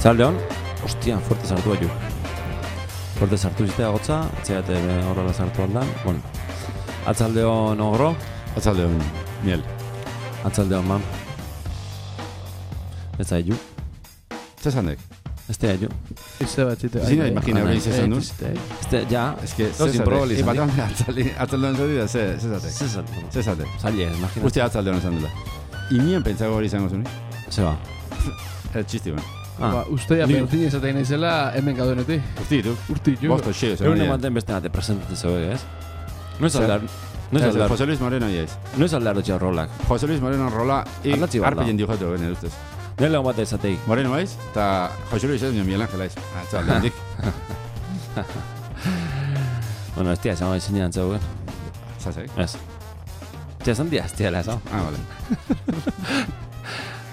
Atzaldeon, hostia, fuerte sartu baitu. Fuerte sartu zitea gotza, etxeate horrela sartu aldan. Bueno, atzaldeon ogro. Atzaldeon miel. Atzaldeon man. Ez da edu. Zesandek. Ez da edu. Izte bat zite. Zina, imagina hori izan duz. Ez da, ja. Ez que, atzaldeon zaudu da, zezatek. Zezatek. Zaila, imagina. Uste atzaldeon esan dela. Inien pentsago hori izango zuni? Zeba. Txisti ben. Usteia bertin izatein naizela hemen gaudenetik. Urtitu. Bosto, xeo. Egun ematen beste nate presentatzen zeuek, ez? Noiz aldar. Jose Luis Moreno iaiz. Noiz aldar dutxe rolak. Jose Luis Moreno rola Aldatzi bat da. arpillen diujatu bene ustez. Nire legon bat ezatei. Moreno baiz, eta Jose Luis ez Miguel Ángel aiz. Atzaldeondik. Bueno, ez tia, esan bai zinean zeuken. Zazek? Ez. Tia, esan dia, ez tia lehazau. Vale.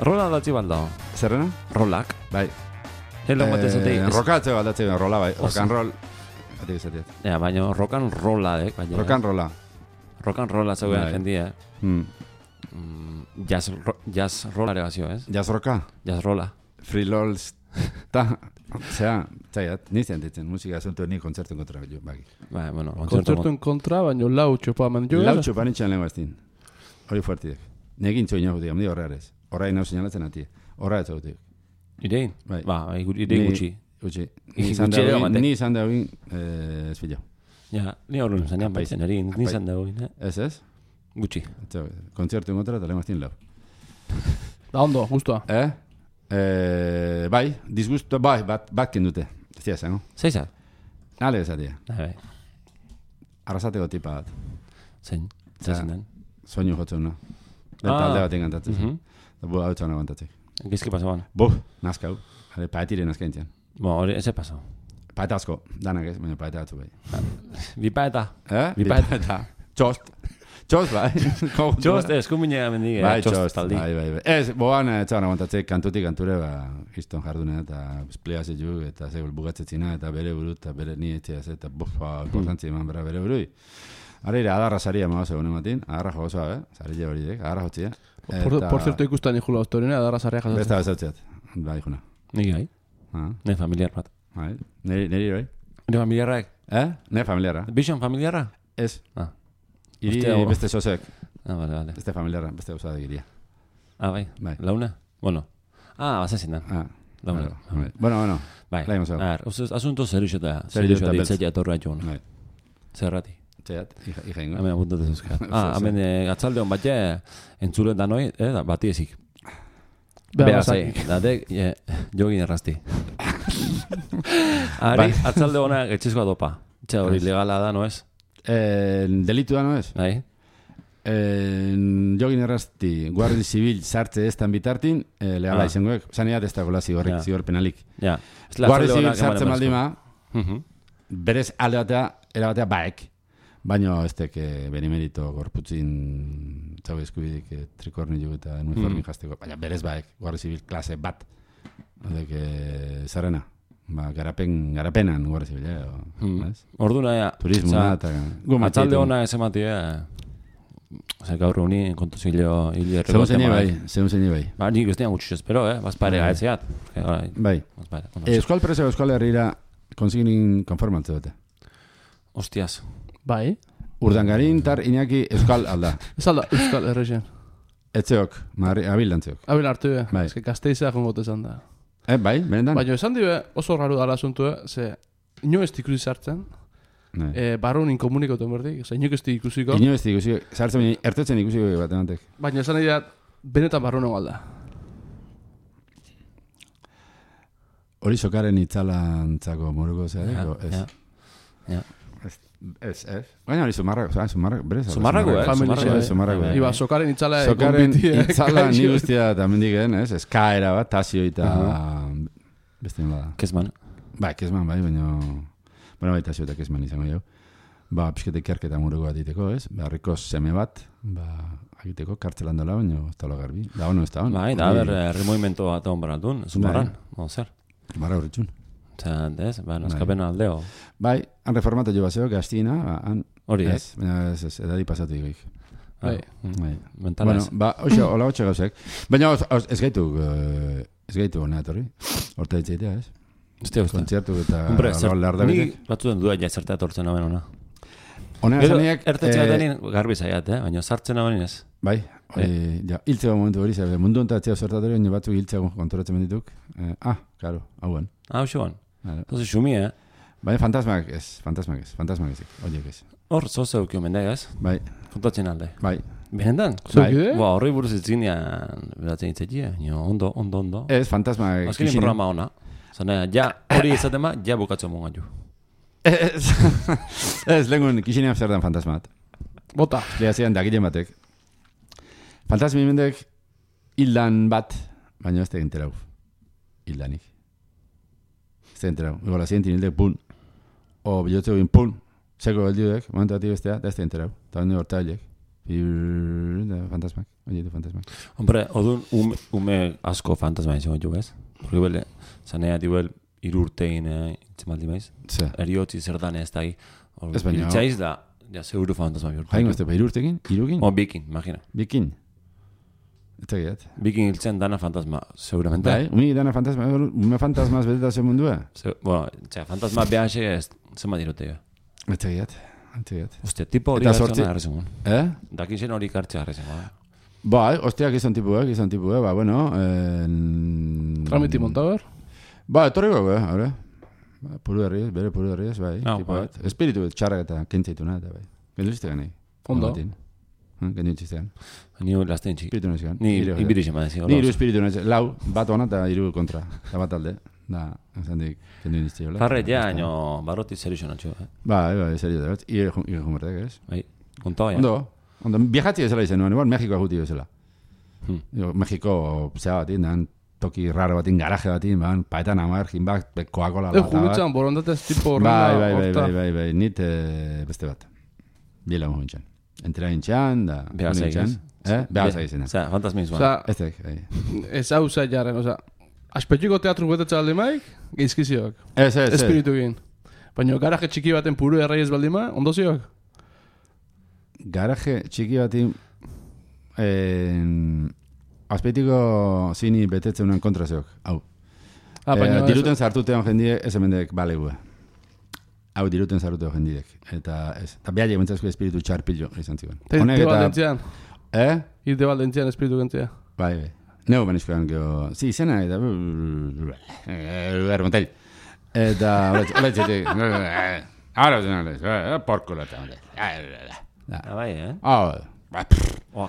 Rola aldatzi bat dago. Zerrena? Rolak. Bai. Nire legon bat ezatei. Rokatzeo aldatzeo rola bai. Rock and roll. Atik izatiet. Ja, baina rokan rola, baina. Rock and rolla. Rokan rola zeuken Bai. jendia, Jazz rola ere bazio, ez? Jazz rocka? Jazz rola. Free lolz. Ta. Zea, zaiat, nizten ditzen musika asuntu ni kontzertuen kontra jo, bagi. Bai, bueno, Kontzertuen kontra, baina lau txopa eman jo. Lau txopan itxan lehen bastin. Hori fuertidek. Negin txoin hau digam, di horrearez. Horra inau señalatzen ati. Horra ez hautik. Idein? Bai. Ba, idein gutxi. Gutxi. Ni izan da hogin, ez filo. Ja, ni horren zanean baitzen hori, ni izan da hori, Ez? Gutxi. Kontzertuen kontra eta lehen bastin lau. Da ondo, guztua. Bai, disgusto, bai, bat kendute. Ez dira zen, no? Zeizat? Ale ezatia. Bai. Arrasateko tipa bat. Zein den? Soinu jotzen, no? Eta alde bat engantatzen. Eta bu hau txana bantatzek. Gizki pasaban? Nazkau. Paetire nazka entzian. Bo, hori, ez pasau. Paeta asko, danak ez, baina paeta atzu bai. Bipaeta? Bipaeta. Txost, bai. Txost, eskuminea mendige. Bai, txost, bai. Ez, boan etxan aguantatzek kantutik kanture, kiston jardunea, eta espliazet ju, eta zegul bugatzetzina, eta bere buru, eta bere ni etxeaz, eta importantzi eman bera bere burui. Arire, adarra saria magoz egun ematin, adarra jogozoa, sarille horiek, adarra jotzia. Por cierto, ikustan ikula ostorena, adarra saria jasotzen. Besta bezautzeat, bai, juna. Niki gai? Ne familiar bat. Bai, neri bai? Ne familiarrak? Ne familiarra. Bixon familiarra? Ez. Iri beste sosek. Vale. Beste familiarra, beste gauza da giria. Bai. Launa? Bueno. Bazazin da. Launa. Bueno. Bai. Laimos hau. Asunto zerixota. Zerixota beltz. Zerixota torra joan. Bai. Zerrati. Txeat, ikaingo. Hemen apuntatez euskal. Hemen atzaldeon bat entzulen da noi, bati ezik. Beha zei, datek, jogin errazti. Ari, atzalde hona etxezkoa dopa. Txea hori legala da, no ez? Delitu da, no ez? Bai. Jogin errazti, guardi zibil sartze ez tan bitartin, legala izangoek. Zaniat ez da gola zigor penalik. Guardi zibil sartze maldima, berez alde batea, erabatea baek. Baina ez teke benimerito gorputzin txau eskubidik trikorni jugu eta uniformi jazteko. Baina berez baek, guardi zibil klase bat. Odek, zarena. Garapenan guardi zibil, Orduna, turismoa eta... Atzalde hona ez ematia... Gaur honi kontuzillo hili erregote. Zeun zein bai. Ba, nik ez dian gutxuz espero, bazpare gaetzeat. Bai. Euskal Presa Euskal Herriera konsignin konformantze dute. Hostias. Bai. Urdangarin tar Iñaki Euskal alda. Ez alda Euskal Herrexen. Etzeok, abildantzeok. Abil hartu be. Bai. Ez que Gasteiza jongote esan da. Bai, benetan? Baina esan dibe oso raru dala asuntu, ze ino ez ikusi sartzen. Barrun inkomunikoten berdik. Zer, ino ez ikusiko. Ino ez ikusiko. Sartzen baina ertetzen ikusiko bat emantek. Baina esan dira benetan barrun egalda. Hori sokaren itzalantzako moruko zeareko, ez? Ja. Ez. Baina hori sumarrako, berez? Sumarrako, Iba, sokaren itzala... Sokaren itzala ni guztia eta mendiken, ez? Eskaera bat, tasio eta... Beste nila da. Kezman. Kezman, bai, baina... Bueno, bai, tasio eta kezman izango jau. Piskete ikerketa muruko bat iteko, ez? Harriko seme bat, agiteko kartzelan dola, baina ez talo garbi. Da ono, ez da ono. Bai, da, herri movimento bat egon baratun, zumarran, zer? Mara horretxun. Ez, naskapena aldeo. Bai, han reformatu jo bazeo, gaztina, hori, ez? Ez, edadi pasatu digoik. Bai. Bueno, hola hotxe gauzek. Baina ez gaitu Ez gaitu honea etorri. Horta ditzaitea, ez? Uste. Kontzertu eta... Hombre, nik batzuten duda jazerta etortzen hamen ona. Honea zaniak... Ertetxe batenin garbi zaiat, baina sartzen hamen ez. Bai, hiltzeko momentu hori, mundu ontatzea zertatori, baina batzuk hiltzeko kontoratzen mendituk. Claro, hauen. Hauan. Entonces, xumi, Bai, fantasmak ez, horiek ez. Hor, zozeu kio mendeg, ez? Bai. Kontatzen alde. Bai. Behendan? Bai. Horri buruz itzinean beratzen itzetia, ondo. Ez, fantasmak... Azkenin programa ona. Zane, ja, hori izaten ba, ja bukatzen mongan ju. Ez, lengun, kixinean zer dan fantasmat. Bota. Lehazean, dakilen batek. Fantasmi mendek, hildan bat, baina ez tegin terau. Hildanik. Ez tegin terau. Ego la zientin hildek, pun. O bilotze egin, pun. Seko geldiudek, momentu bat bestea, da ez tegin terau. Eta bende horta hilek. Fantasmak, oietu fantasmak. Hombre, odun ume asko fantasma izan jo, ez? Porque bele, zanea diuel irurtein itzemaldi maiz. Eriotzi zer dan ez da. Ez baina. Iltzaiz da, ja, seguru fantasma bihurtu. Hain gozte, irurtekin? Irukin? Bikin, imagina. Bikin? Eta gehiat. Bikin hiltzen dana fantasma, seguramente. Bai, umi dana fantasma, ume fantasmaz beteta zen mundua. Bueno, fantasma behanxe ez, zema dirote. Eta gehiat. Ostia, tipo hori gartzen arrezengun. Dakin zen hori gartzen arrezengun. Bai, ostiak izan tipuek, ba, bueno... Tramiti montaber? Ba, etorriko, haure. Bere puru herriez, bai. Espiritu txarrak eta kentzaitu eta bai. Gendu ganei. Ondo. Gendu ziztegan. Ni lasten txik. Espiritu nazioan. Ni ibiriz eman dezio. Ni iru espiritu nazioan. Lau, bat ona eta iru kontra. Eta bat alde. Da, esan dik, kendu niztio. Farret ja, no, barroti zerio natxo. Bai, zerio da bat. Ire jumertek, ez? Bai, konta bai. Ondo, viajatzi ezela izan nuen, igual Mexikoa guti ezela. Mexiko, zea batin, dan, toki raro batin, garaje batin, paetan amar, jinbak, Coca-Cola lata bat. Jugutzen, borondatez tipo horrela. Bai, nit beste bat. Biela mojo intxan. Entera intxan, da... Behaza egin. Behaza egin. Osa, fantasmizua. Ez hau zait jarren, osa, aspetxiko teatru betetza aldi maik, geizkiziok. Espiritu egin. Baina garaje txiki baten puru erraiez baldima, ondoziok? Garaje txiki batin... Aspetiko zini betetzen unan kontra zeok. Hau. Diruten zartutean jendie, ez emendek balegu. Hau diruten zartutean jendiek. Eta behar jementzazko espiritu txarpillo izan ziren. Irte baldentzian? Irte baldentzian espiritu gentzia? Bai. Neu banizkoan geho... Si, izena eta... Ermontel. Eta... Holetzetik... Ahora, porkulo eta... Bai,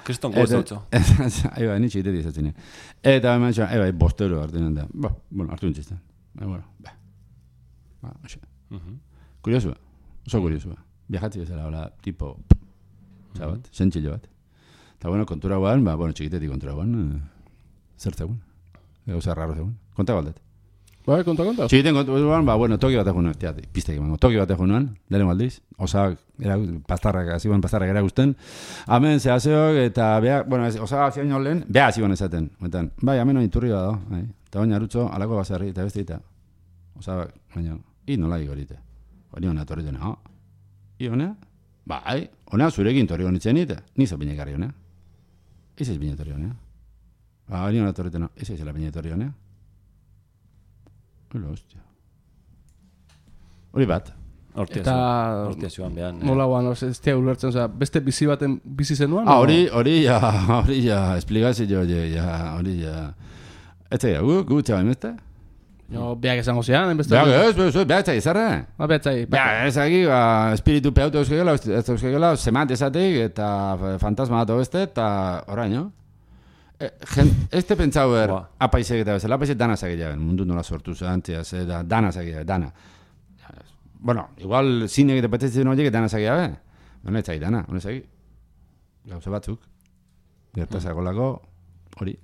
kriston gozatzo. Eba, nitxe ite dizatzen. Eta eman txan, eba, bostero hartu da. Bueno, hartu nintzen. Kuriosua. Oso kuriosua. Viajatzi bezala, hola, tipo... Zabat, sentxillo bat. Eta bueno, kontura guan, bueno, txikitetik kontura guan, zer zegoen. Gauza raro zegoen. Konta baldet. Bai, konta. Txikiten kontura guan, bueno, toki bat egunan, piztek emango. Toki bat egunan, dele maldiz. Osak, pastarrak eragusten. Hemen zehazeok, eta beha, bueno, osak zian jolen, beha ziban esaten. Bai, hemen hori turri bat da. Eta baina arutzo, alako bazarri, eta beste eta. Osak, baina, nola igorite. Hori hona torri dena, hona? Bai, hona zurekin torri honitzen ite. Nizo binekarri hona. Ez ez binetorri hona. Hori hona torri dena, ez ez la binetorri hona. Hora, hostia. Hori bat. Hortia zioan behan. Nola guan, ez tia ulertzen, beste bizi baten bizi zenuen? Hori ja, esplikazio, hori ja. Ez ja, gu txabain beste? No, beak esango zian, enbeste... Beak zai, zarra? Beak zai. Beak zai, espiritu peutu euskegela, semat esatik, eta fantasma bat beste, eta orain, no? Ez te pentsau ber, apaizek eta bezala, apaizek dana zagilean, mundu nola sortu zantiaz, dana zagilean, dana. Bueno, igual zine egite petetzen horiek dana zagilean, ez zagi dana, ez zagi. Gauza batzuk, gertazako lako, hori.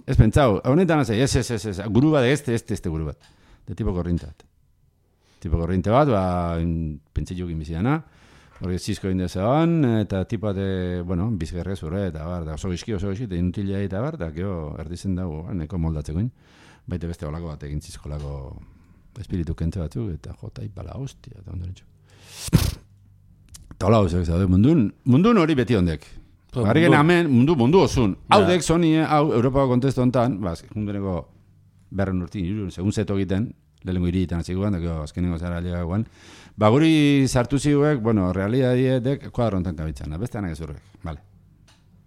Ez pentsau, honetan dana zagi, ez, guru bat, ez guru bat, de tipo korrinte bat. Tipo korrinte bat, pentsitxuk inbizidana, hori zizko indezean, eta tipa de, bueno, bizgerrez urre, eta bar, oso gizki, eta inutilea eta bar, eta geho erdizen dago, neko moldatzekoin, baita beste olako bat egin zizkolako espiritu kente batzuk, eta jota ipala hostia, eta ondo nintxo. Eta hola hozak, zaude, mundun hori beti ondek. Garrigen hemen mundu osun. Haudek Sony, hau Europako kontestu honetan, jundeneko 200 urtin, segun zeto egiten, lehenko iritan azikoan, azkenengo zara legagoan, guri sartu ziguek, realidadietek kuadro honetan kabitzana, beste anak ezurrek, vale.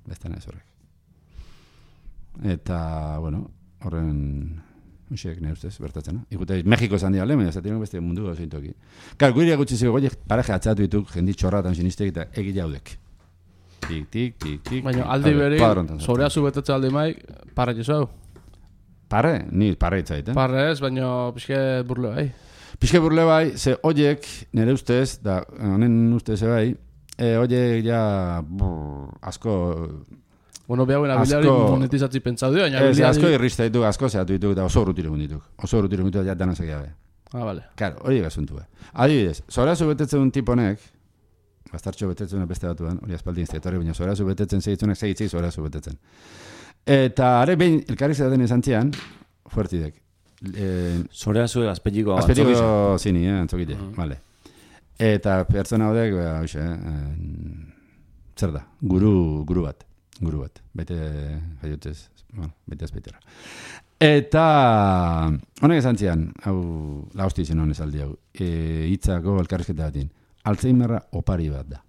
Beste anak ezurrek. Eta, horren... Uxek, nire ustez, bertatzen, ikute, Mexiko esan dira, lehen, zaten beste mundu gauzein toki. Guri gutxi zego, paraje atzatu dituk, jendi txorratan sinistek eta egile haudek. Tik. Baina aldi beri, zorea zubetetze aldi maik, parre jezau. Parre? Ni parre itzait, Parre ez, baina pixke burle bai. Pixke burle bai, ze oiek, nire ustez, da, honen ustez bai, oiek ja, asko... Behauen abilari monetizatzi pentsau dio, baina abilari... Asko irrista dituk, asko zehatu dituk, eta oso urrutiregun dituk. Oso urrutiregun dituk, ja danazak gabe. Vale. Claro, hori gazuntu, Adibidez, zorea zubetetzen un tiponek, bastartxo betetzen beste batuan, hori aspaldin iztetorri, baina zorea zubetetzen segitzunek segitzik zorea zubetetzen. Eta are behin elkarrik zeraten izan zian, fuertidek. Zorea zue azpetiko zini, antzokite, vale. Eta pertsona hodek, zer da, guru bat, bete jaiotez, bete azpeitera. Eta honek esan zian, hau, lausti izan honez aldi hau, hitzako elkarrizketa batin, Alzheimerra opari bat da.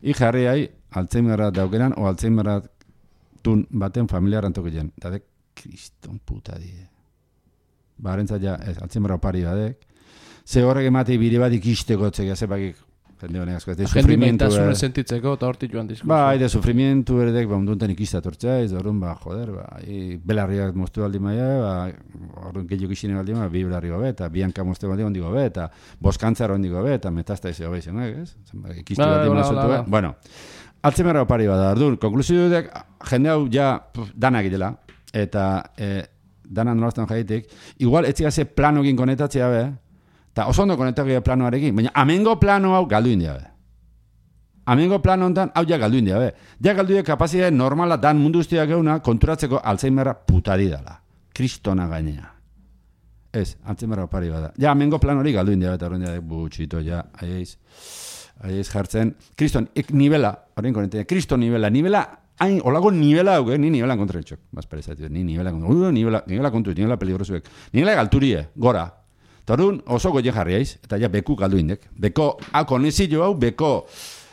Jarri hai, Alzheimerra daukeran, o Alzheimerra tun baten familiaran tokitzen. Eta de, kriston puta die. Barentzat ja, Alzheimerra opari badek. Ze horrek emate bide bat ikisteko txekia, zepakik, jende honek asko, ez sufrimientu... Jende maitasune sentitzeko, eta hortik joan diskurso. Ede sufrimientu eredek, onduntan ikistatortza, ez horren, belarriak moztu baldi maia, horren gehiok isine baldi maia, bi belarri gobe, eta bianka moztu baldi ondi gobe, eta boskantzar ondi gobe, eta metazta ezi gobe izan, ez? Ikistu baldi maia zutu, bueno, Alzheimerra opari bada, orduan, konklusio dudek, jende hau ja danak idela, eta danan nolaztan jaitik, igual etzigaze planokin konetatzea be, eta oso ondo konetatzea planoarekin, baina amengo plano hau galdu india be. Amengo plano honetan, hau ja galdu india be. Ja galdu india kapazidea normala dan mundu ustiak euna konturatzeko Alzheimerra putadi dala. Kristona gainea. Ez, Alzheimerra opari bada. Ja amengo plan hori galdu india be, eta horren dira butxito, ja, aiz jartzen. Kriston, nivela, horrein konetea, kriston nivela, hain, olago nivela hau, ni nivelan kontra etxok. Bazparezatu, ni nivela kontra, nivela kontu, nivela peligrosuek. Nivela galturie, gora. Eta horren oso goien jarri aiz, eta ja beku galdu indek. Beko, konezillo hau, beko,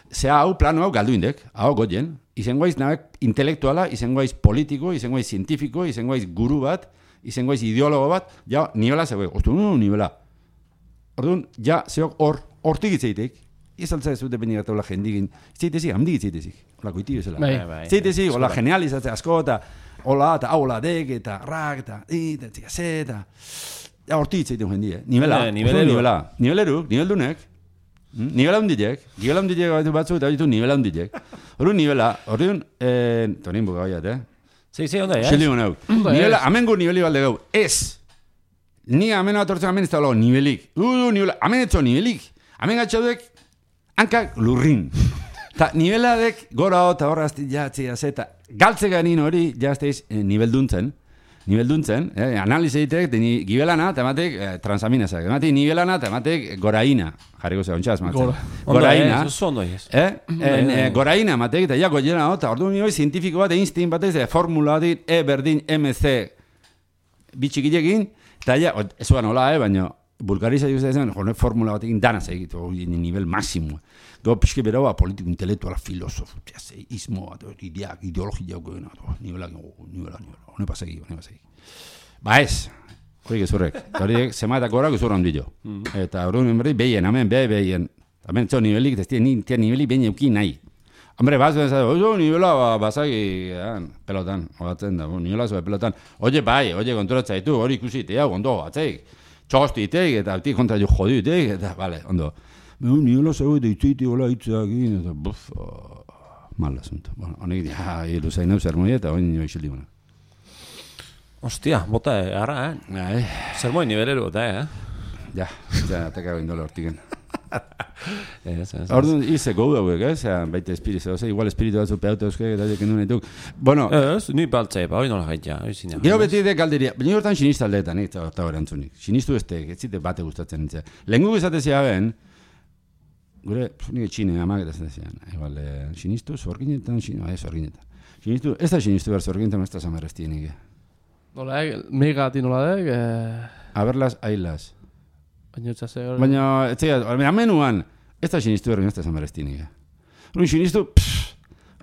zea hau, plano hau galdu indek, hau goien. Izengoaiz nabek intelektuala, izengoaiz politiko, izengoaiz zientifiko, izengoaiz guru bat, izengoaiz ideologo bat, ja, nivela zegoe, nivela. Orduan, ja, zeok hortik itzeitek, izaltza ez dute beni gataula jendigin, itzeitezik, hamdik itzeitezik, hola koiti bezala. Itzeitezik, hola genializatze asko, eta hola, eta hola dek, eta rak, eta ja, hortik itzeiten jendia, niveleruk, niveldunek, nivela hundilek batzu, eta ditu nivela hundilek. Horun nivela, horreun, tonin buka baiat, Sí, onda, ya. Xildi honau. Nivela, amengo niveli balde gau, ez. Ni ameno atortzen amen ez da lago nivelik. Nivela, amen etzo nivelik. Amen gatxaudek, hankak lurrin. Ta niveladek gora eta horra azti jatzea zeta. Galtzega nien hori jazteiz nivelduntzen. Analize ditek, gibelana, eta ematek transaminazak. Ematek nivelana, eta ematek goraina. Jarriko zea, ontsa azmatzen. Goraina. Goraina ematek, eta ja goiena, eta ordu nio zientifiko bat, Einstein batez, formula dit, E berdin MC bitxikilekin, eta ja, ez zuan hola, baina bulgariza juzta zen, jone formula batekin danaz egitu, nivel máximo. Gau pixke beraua politiko, intelektuala, filosofu, izmo bat, ideologia goena, nivela, hone pasegi. Ba ez, hori gezurrek, hori zemaetak gorak gezurra ondillo. Eta hori emberri behien, hemen behien, hemen txo nivelik, ez tia nivelik behien eukin nahi. Hombre, vas a decir, oye, nivela basagi pelotan, oatzen da, nivela zoe pelotan. Oye, konturatza ditu, hori ikusitea, ondo, atzeik. Txostitek, eta altik kontra jo joditek, eta, vale, ondo. Nivela zoe deitzeiti hola hitzakin, eta, buf, mal asunto. Bueno, honek, iluzain hau zermoi, eta hori nio isildi guna. Hostia, bota, arra, Zermoi nivelero, bota, Ja, teka indole hortiken. Orduan, ize gau dauek, baita espiritu, igual espiritu batzu peauta euskak, eta jekin duen dituk. Bueno, ni baltzea, hori nola gaitia. Gero beti de galderia, baina hortan sinista aldeetan, eta hori antzunik. Sinistu ez zite bate gustatzen nintzen. Lehen guk esatezia ben, gure, nire txine amak eta zen, igual, sinistu, zorginetan, zorginetan. Sinistu, ez da sinistu behar zorginetan, ez da samarrezti nik. Nola, megati nola dek? Aberlas, ailas. Baina, baina, menuan, ez da sinistu behar, ez da samarrezti nik. Hori sinistu,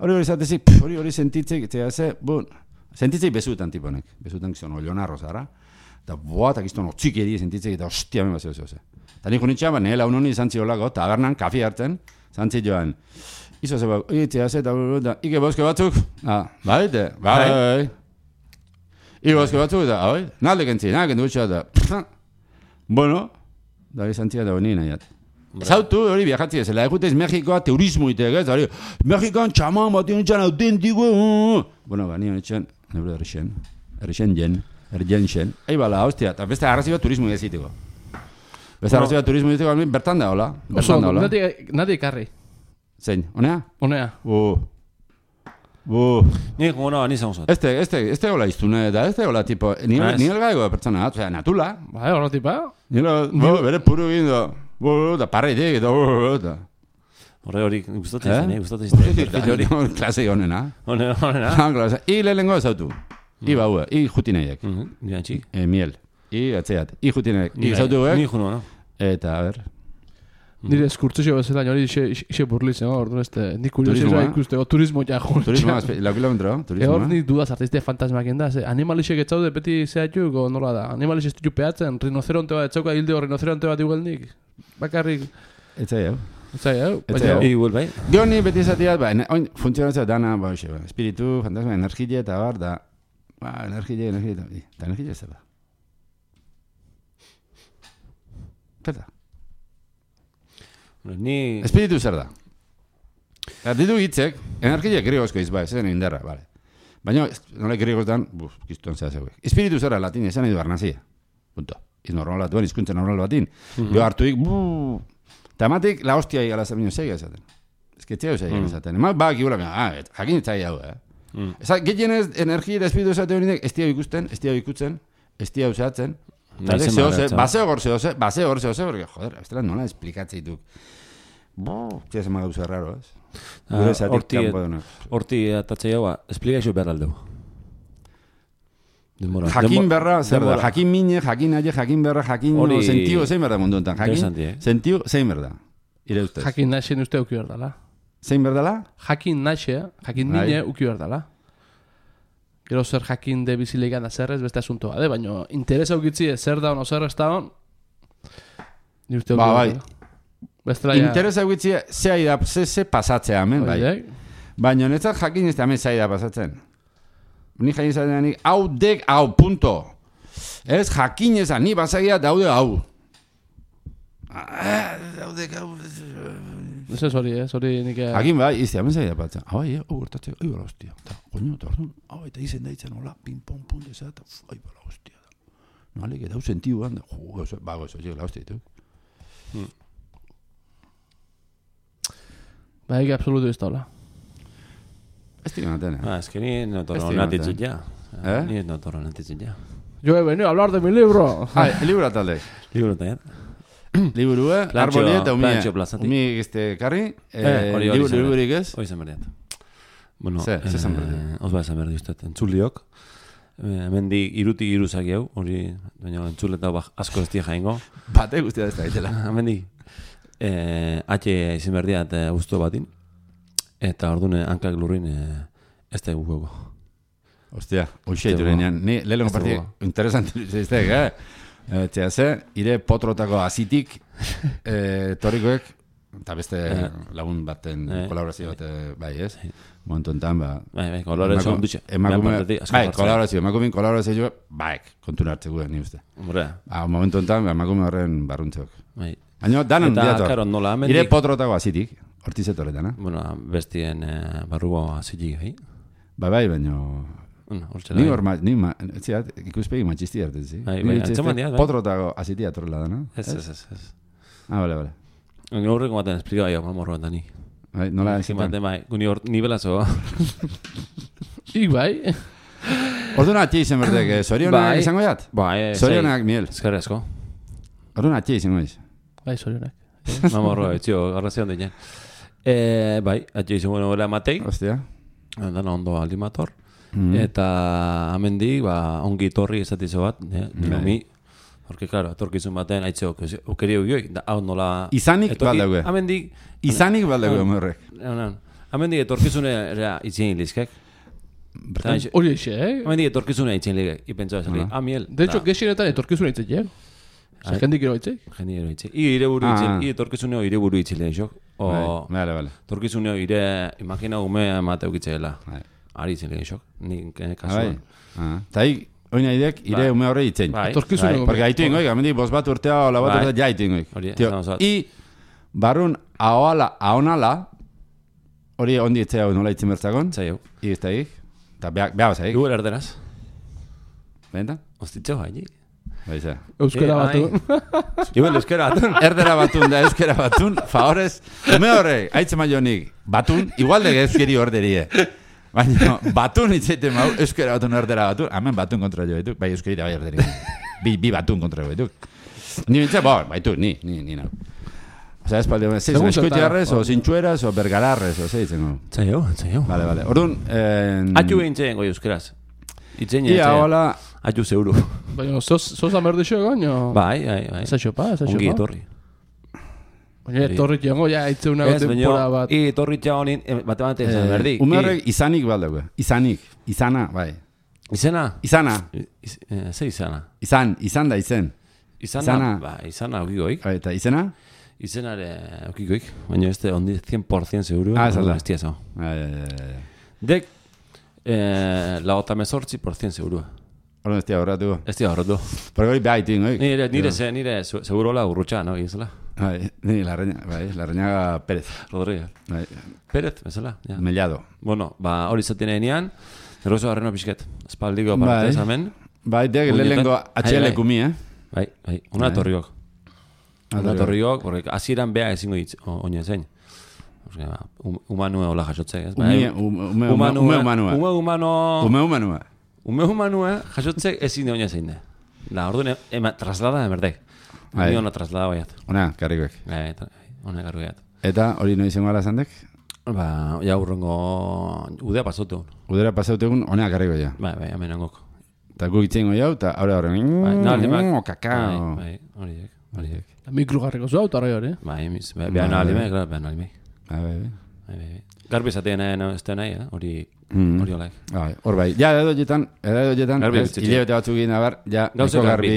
hori zatezik, hori sentitzik, sentitzik bezutan tiponek, bezutan gizton olionarro zara, eta boatak gizton otzik edi sentitzik, eta hostia, men bazio zehose. Eta nik unitxea, nela unoni zantzi holako, tabernan, kafi hartzen, zantzi joan. Izo zeba, eta ike boske batzuk, baite, bai. Ike boske batzuk, eta, bai, nalde kentzi, kendu gutxea, eta, bueno, da izantzia da honi nahiat. Zautu, hori viajatzi ez, la eguteiz Mexikoa turismo itek, ez, hori, Mexikan txaman bat ionetxan autentiko, bueno, ba, nion etxan, nebro errexen jen, eibala, hostia, eta beste arrazi bat turismo egizitiko. Beste arrazi bat turismo egizitiko, bertan da, hola. Oso, nadi ikarri. Zein, honea? Honea. Nik, bueno, nizan uzat. Este hola iztune, eta este hola, tipo, ni elgaigo pertsona, osea, natula. Bai, hola tipa. Bere puru gindo, da parreitik, eta... Hori, gustatzen izan, Klase honena. Honena. I lehenengo ezautu. I baue, i jutineiek. Giantxik. Miel. I atzeat. I jutineiek. I ezautu Ni juno, no? Eta, a ber... Nire eskurtzio bezala, hori ixe burlitzen, orduan nik kuriosia ikuste, turismo ja joan. Turismo, lau kilometro, turismo. Hor ni dudaz artiste fantasmak enda, animalixek etzaude beti zehatuk, o nola da, animalixek ez ditu peatzen, rinoceronte bat etzauka hilde rinoceronte bat igualnik, bakarrik. Etzai hau. Igual, bai. Gio ni beti zatiat, oin funtzionatzea dana, espiritu, fantasma, energia eta bar, da, energia, eta energia ez da. Peta. Espiritu zer da. Ditu hitzek, energia grigozko izba, ez den indarra, bale. Baina, nola grigozdan, giztuan zera zeuek. Espiritu zer da, latin, esan edo arnazia. Punto. Iz normal bat duen, izkuntza normal batin. Jo hartuik, eta ematik, la hostia igala zer bineo zeiga esaten. Ez que txeo zeiga esaten. Ema bak igula, jakin ez zai hau, Gehien ez, energia eta espiritu esaten horiek, ez tia ikusten, ez tia ikutzen, ez tia usatzen. Baseo gorze, porque, joder, bestela nola esplikatzeetuk. Tia zema gauza raro, ez? Gure zatik kanpo denak. Horti atatzea hau, esplikazio behar aldeu. Jakin berra, zer da? Jakin mine, jakin aie, jakin berra, jakin sentio, zein berda mundu enten. Sentio, zein berda. Ire ustez. Jakin naixen uste uki berdala. Zein berdala? Jakin naixe, jakin mine uki berdala. Gero zer jakin de bizilegan azerrez beste asuntoa, baina interesa ukitzi zer da ono zer ez da hon. Bai. Interesa ukitzi ze pasatzea hemen, bai. Baina netzat jakin ez da hemen zai da pasatzen. Ni jakin zaten nik, hau dek, hau, punto. Ez jakin ezan, ni basagia daude hau. Daudek hau... Ez ez hori nik... Hakin bai, izte, hemen zai da pasatzen. Hau, gertatzea, bala hostia. Koño, eta orduan, eta izen daitzen, hola, ping-pong, punto, eta bala hostia. Nalik, eta hau sentiu handa. Bago, ez hori, la hostia, ditu. Ba, egi absoluto ez da, hola. Ez tira naten, Ez que ni no torro natitzit ja. Ni no torro natitzit ja. Yo he venido a hablar de mi libro. El libro atalde. Libro talde. Liburu, arboli eta umi karri. Liburik ez? Hoi zen berdiat. Bueno, zezan berdiat. Os ba esan berdi ustet, entzuliok. Hemendi irutik iruzak jau, hori, baina entzuleta asko ez tia jaingo. Bate guztia ez da gaitela. Hemendi, atxe izin berdiat guztu batin. Eta ordune hankak lurrin ez da guguego. Hostia, hoxe jurenean. Ni lehenko parti interesanti izteek, Txea ire potrotako azitik torikoek, eta beste lagun baten kolaborazio bat, bai, ez? Momentu enten, Bai, kolaborazio ondutxe. Emakumin kolaborazio, baik, kontuna hartzeko ni uste. Momentu enten, emakume horren barruntzok. Baina, danan diator, ire potrotako azitik, hortizetoretan, Bueno, bestien barrugo azitik, gai? Bai, baina... Ni horma, ikuspegi matxisti hartzen, zi? Potrotako azitia torrela da, no? Ez. Bale. Horreko baten esplika gai, morro bat da ni. Nola ezin bat? Ni belazo. Ik bai? Orduan atxe izen berdek, zorionak izango jat? Bai. Zorionak miel. Ezkerrezko. Orduan atxe izango iz? Bai, zorionak. Mamorroa, etxio, arrazion dinen. Bai, atxe izan bueno gola matei. Hostia. Dana ondo aldimator. Eta amendik, ongi torri esatizo bat, mi. Porque, claro, etorkizun baten, haitze okerio gioi, hau nola... Izanik baldaue. Amendik... Izanik baldaue, morrek. Amendik etorkizunera itzien hilizkek. Hori eixe, Amendik etorkizunera itzien hilizkek. Ipentza esan, amiel. De hecho, gexienetan etorkizunera itzek, jendik ero itzek? Jendik ero itzek. Ire buru itzek, etorkizuneo ire buru itzile, xok. Vale. Etorkizuneo ire, imagina ume emate eukitzeela. Ari itzile, xok. Ni kasuan. Taik, oin nahideak, ire ume horre itzen. Etorkizuneo. Porque haitu ingoik, amendik bost bat urtea, ola bat urtea, jaitu ingoik. I, barrun, ahonala, hori ondi itzea nola itzen bertzakon. Zaiu. I, ez taik. Eta behar zaik. Igual erderaz. Benta? Ostitxo, haini. Baiza. Euskera batun. Igual, euskera batun. Erdera batun da, euskera batun. Favorez, ume horre, haitze maionik, batun, igual de gezkeri orderie. Baina, batun itzaiten mau, euskera batun, erdera batun. Hemen batun kontra jo baituk, bai euskeri da bai erderi. Bi batun kontra jo baituk. Ni bintza, baitu, ni nau. Osa, espaldi, eskuitiarrez, o zintxueraz, o bergararrez, o zeitzen go. Tzaio. Vale. Orduan... Atxu behintzen goi euskeraz. Itzen ia, hola... Atxu zeuru. Baina, sos amerdixo egon, jo? Bai. Zatxopa. Ongi etorri. Baina, etorri txango, ja, itze una tempora bat. Etorri txagonin, bate esan berdi. Ume horrek izanik baldago. Izana, bai. Izena? Izana. Ze izana? Izan da izen. Izana okigoik. Eta izena? Izenare okigoik. Baina ez da ondi 100% seguro. Esalda. Ez tiazo. Dek, la 18% seguro. Horren ez tia horretu. Ez tia horretu. Porque hori behar itin, oi? Nire seguro la urrutxa, no? Izela. Ni Larrañaga Pérez. Rodríguez. Pérez, bezala. Mellado. Bueno, hori zaten enean, errozo garreno pixket. Espaldiko partez amen. Bai, dek lehenko HL kumi, Bai, una torriok. Una torriok, porque hasieran beha ezingo hitz, oine zein. Humanue hola jasotzek, ez? Ume humanue jasotzek ezin de oine zein de. La orduan traslada emerdek. Ni ona traslada baiat. Ona, karrikoek. Ona karrikoek. Eta hori no izango ala zandek? Ja urrengo udea pasautu. Udera pasautu egun, ona karriko ja. Bai, amenangok. Eta gu itzengo jau, eta horren... Kakao. Bai, horiek. Mikrogarriko zua, eta hori. Bai, behan alimek. Bai. Garbi zatean ez da nahi, hori olaik. Hor bai, ja, edo jetan, hilebete batzuk egin abar, ja, niko garbi...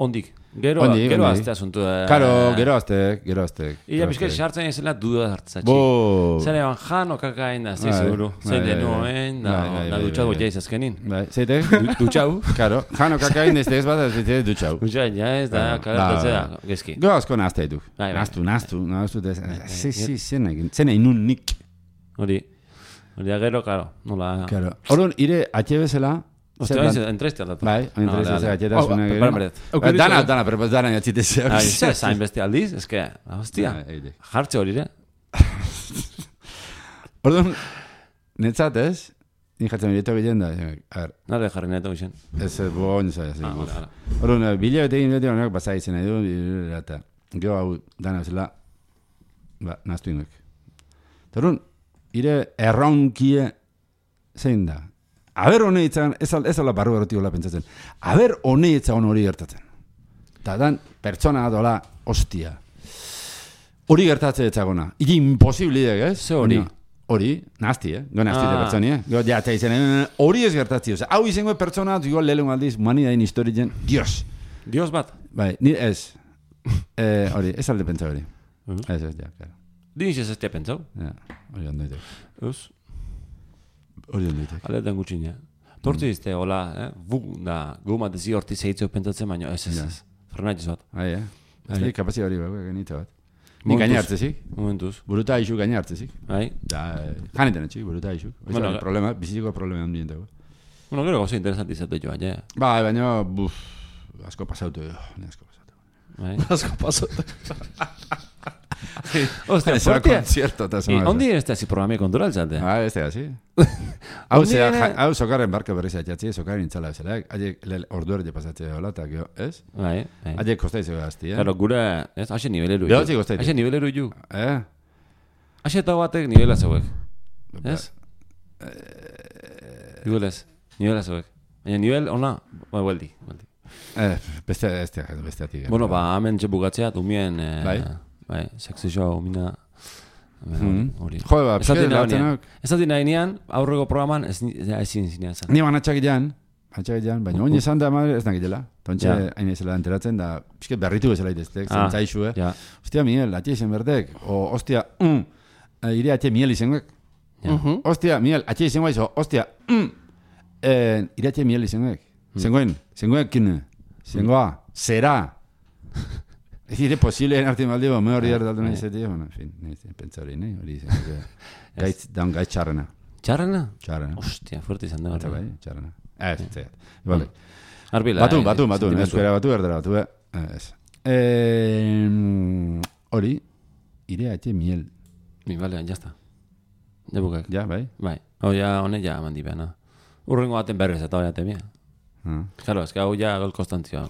Ondik. Gero azte asuntu da. Gero azte. Ia bizkai sartzen ezela duda hartzatxik. Zene ban jan okakain da, zei seguru. Zein denuen, da dutxago jaiz azkenin. Zeite? Dutxau. Karo, jan okakain ez ez bat ez dutxau. Dutxau jaiz da, kagatzea, gezki. Go asko nazte ditu. Naztu. Zene inun nik. Hori agero, karo. Orduan, ire atxebezela, Ostia, entreste aldatu. Bai, entreste atxetasuna gero. Dana, pero dana atxitezea. Zain beste aldiz, eske, hostia, jartxe hori, Orduan, netzat ez? Ni jatzen bileto gillen da. Nare jarri neto gillen. Ez, boin zai. Orduan, bilebete egin beti honek basa izan nahi du, eta gero hau dana zela, naztu ingoek. Orduan, ire erronkie zein da. Aber honeitzan, ez ala barru eroti hola pentsatzen. Aber honeitzan hori gertatzen. Eta dan, pertsona dola, hostia. Hori gertatzen etzagona. Iki imposibilidek, ez? Ze hori? Hori, nazti, Go nazti de pertsonia. Go ja, eta izan, hori ez gertatzi. Hau izango pertsona, igual lehelen aldiz, manidain historien, Dios. Dios bat? Bai, ni ez. Hori, ez alde pentsa hori. Ez, ja, claro. Diniz ez te pentsau? Ja, hori ondoitek. Ez? Hori ondoitek. Aletan gutxin, Tortzi izte, hola, gu matezi horti zehitzeu pentsatzen, baina ez. Fernatxez bat. Ez kapazia hori bago, genitza bat. Ni gainartzezik. Momentuz. Buruta isu gainartzezik. Bai. Janetan etxik, buruta isu. Problema, bizitiko problema handien dago. Bueno, gero gauza interesanti izate joa, ja. Bai, baina, asko pasautu. Bai. Asko pasautu. Hostia, se va concierto ta semana. ¿Dónde está ese programa control zate? Así. Hau sokarren barka berriz atxatzi, sokarren intzala bezala. Ordu erde pasatze hola, eta gero, ez? Bai. Aie kostaizu gazti, Claro, gure, ez? Haxe niveleru. Behatzi kostaizu. Haxe niveleru ju. Haxe eta batek nivela zeuek. Ez? Nivela zeuek. Baina nivel ona, hueldi. Beste ati. Bueno, hemen txepugatzea, umien, sexy show, umina... Jo, ez dati nahi nian, aurrego programan, ezin zinean zan. Ni ban atxakilean, baina oin esan da madre ez nakitela. Tontxe, hain ezela enteratzen da, pixket berritu bezala iteztek, zentzaixu, Ostia, Miel, atxe izen berdek, o, ostia, ire atxe Miel izenguek. Ostia, Miel, atxe izen guaizo, ostia, ire atxe Miel izenguek. Zengoen kine, zengoa, zera. Ez dire posible en arte maldibo, me hori erdaldu nahi zeti, bueno, en fin, pentsa hori, hori zen, gaitz txarrena. Txarrena? Txarrena. Ostia, fuerte izan da. Txarrena. Ez, vale. Arbila. Batu, espera, batu, erdera, batu, ez. Hori, ire atxe Miel. Vale, ya está. Ya bukak. Ja, bai? Bai. Oia, hone ja mandi behana. Urrengo baten berrez eta hori atemia. Claro, es que hau ja gol konstantzioa.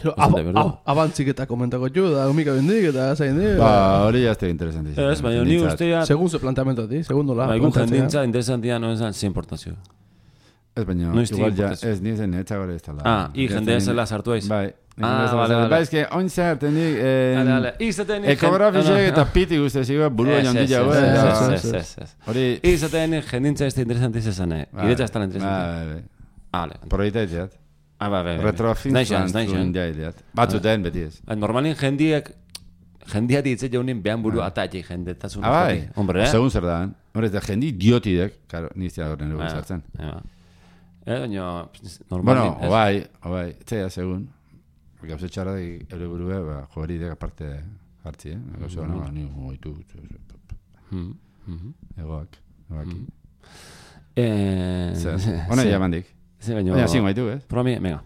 Abantzik eta komentako txu, da humika bendik eta zain di. Hori ja este interesantísimo. Ez, baina ni ustea... Segun ze planteamento ti, segundo la. Egun jendintza interesantia no esan sin importazio. Ez, baina igual ja, ez nizen etxagore ez tala. I jende zela sartu aiz. Bai. Vale. Bai, eske, oin zerten dik... Ekografisek eta piti guzteziko burua jondila. Hori... Izaten jendintza ez interesantiz esan, iretza ez tala interesantiz. Vale. Proietaitzeat. Retrofintzuan zuen jaideat. Batzuten, beti ez. Normalin jendiati hitze jaunin behan buru atatxe jendetasun. Bai, segun zer da. Hombre, ez da jendi idiotidek. Karo, niztia horren dugu zartzen. Baina, normalin... Bueno, obai, etzea segun. Gauze txarra eure burue, jogeri dek aparte hartzi, Gauze hona, ni goitu. Egoak. Hona jamandik. Baina, zingo haitu, ez? Proba mi, venga.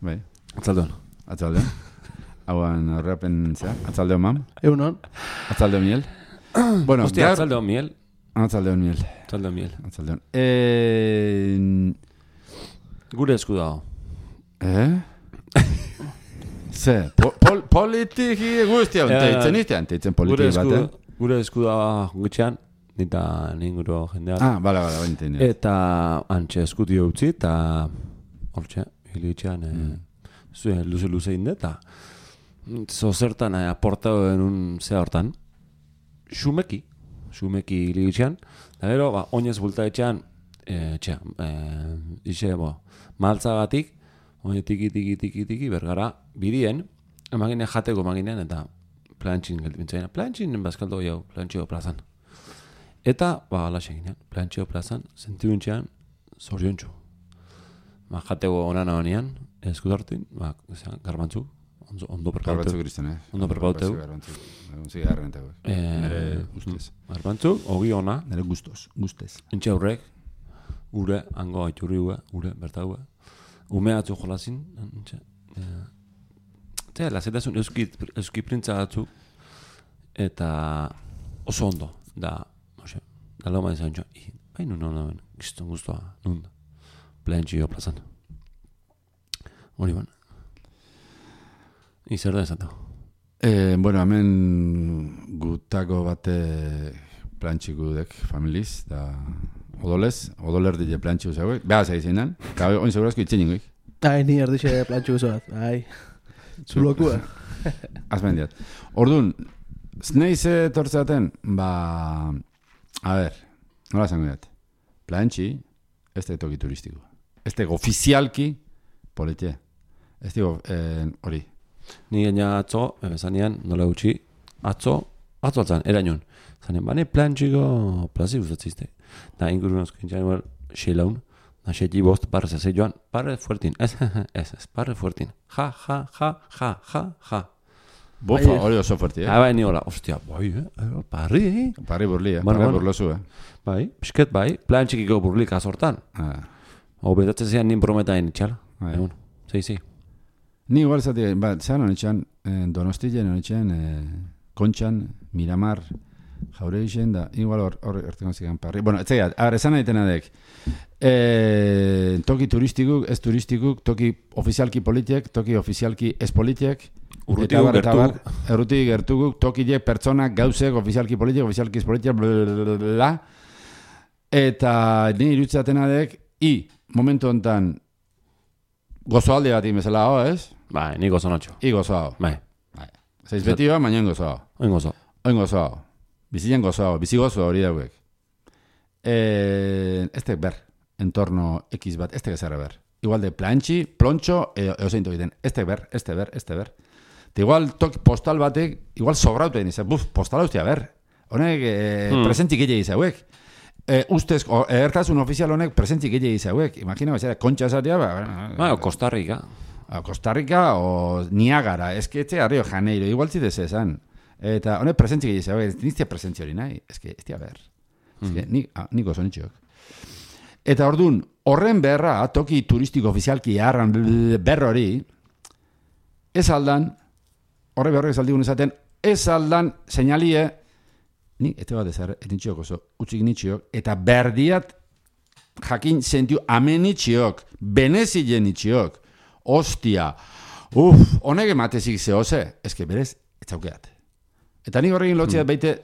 Bai. Atzaldeon. Hauan horrepen, atzaldeon mam? Egunon. Atzaldeon Miel. Bueno, hostia, atzaldeon Miel. Atzaldeon Miel. Gure esku dago. Ze, politiki guztia anteitzen politiki bat, Gure esku dago gutxean, nita ninguro jendeak. Bala, eta antxe eskudio utzi, eta hortxe, hilitxean, luze inde, eta zozertan aportau denun zea hortan, xumeki hilitxean, eta gero, oinez bultaetxean, maltzagatik, oine tiki, bergara, bidien, emagine jateko emaginen, eta plantxin geldimentzaina. Plantxin bazkaldo jau, plantxio plazan. Eta, alaxe ginean, plantxio plazan, sentibuntxean, zoriontxu. Jateko onan abanean, eskudartin, garbantzu, ondo perpauteu. Garbantzu kristen, Ondo perpauteu. Nere guztez. Garbantzu, ogi ona. Nere guztez. Entxe aurrek, ure, hango aiturri ure, berta ue. Umeatzu jolazin, entxe. Eta, lazetasun euski printza batzu, eta oso ondo, da loma izan txoa, baina non, gizton guztua, nun, plantxio plazan. Hori ban. Izer da esatu? Bueno, hemen gutako bate plantxiku dek familiz, da odoler dide plantxiku zauek, behaz egin gabe, oin segurazko itzen ingoik. Ni erdixe plantxiku zauek, zulokua. Azmen diat. Orduan, zneize tortzaten, a ver, nola zango diat. Plantxi, ez da toki turistiko. Ez da ofizialki politie. Ez da hori. Ni gaina atzo, zanean, nola gutxi, atzo atzan, erainoen. Zanean, bane plantxiko plazi gustatzizte. Da, ingurun osko intxan, xeilaun, da, xeiti bost, barrez ez joan, barre fuertin, ez, barre fuertin. Ja. Bofa, hori oso fuerti, Bai, ni hola, ostia, parri, Parri burli, parri burlosu, Bai, pisket, bai, plantxikiko burlik azortan. Obetatzen zean nin prometain itxala. Egun, zei. Ni igual zati, zean honetxean, Donostien honetxean, Kontxan, Miramar, Jaure izan da, igual hor ertengo zigan parri. Bueno, etzaiat, esan egiten adek. Toki turistikuk, ez turistikuk, toki ofizialki politiek, toki ofizialki ez politiek. Errutik gertukuk, tokiek pertsonak, gauzek, ofizialki politiek, ofizialki ez politiek, blablabla. Eta nire irutzaten adek, momentu honetan, gozoalde bat imezela, ez? Bai, ni gozonotxo. Gozoa. Bai. Zeiz beti ba, mañan gozoa. Oin gozoa. Bizien gozoa, bizi gozoa hori dauek. Ez ber, entorno X bat, ez gezerra ber. Igual de plantxi, plontxo, eosein tokiten. Ez ber. Eta igual postal batek, igual sobrautu egin izan. Postala ustia ber. Honek presentzik egin izauek. Ustez, ertasun ofizial honek presentzik egin izauek. Imagina, kontxa esatea, Costa Rica. Costa Rica o Niagara. Ez que etxe Rio Janeiro, igual zidez esan. Eta honek presentzik egin izauek. Niztia presentzi hori nahi. Ez que, ez ber. Nik oso nitxok. Eta orduan, horren beharra, toki turistiko ofizialki harran berro hori, ez aldan, horre beharra ez aldigun esaten, ez aldan seinalie, nik, eta bat ezar, etintxiok oso, utzik nitxiok, eta berdiat jakin zentiu amenitxiok, benezilen nitxiok, ostia, honek ematezik zehose, ezke berez, ez zaukeat. Eta nik horrekin lotziat baite,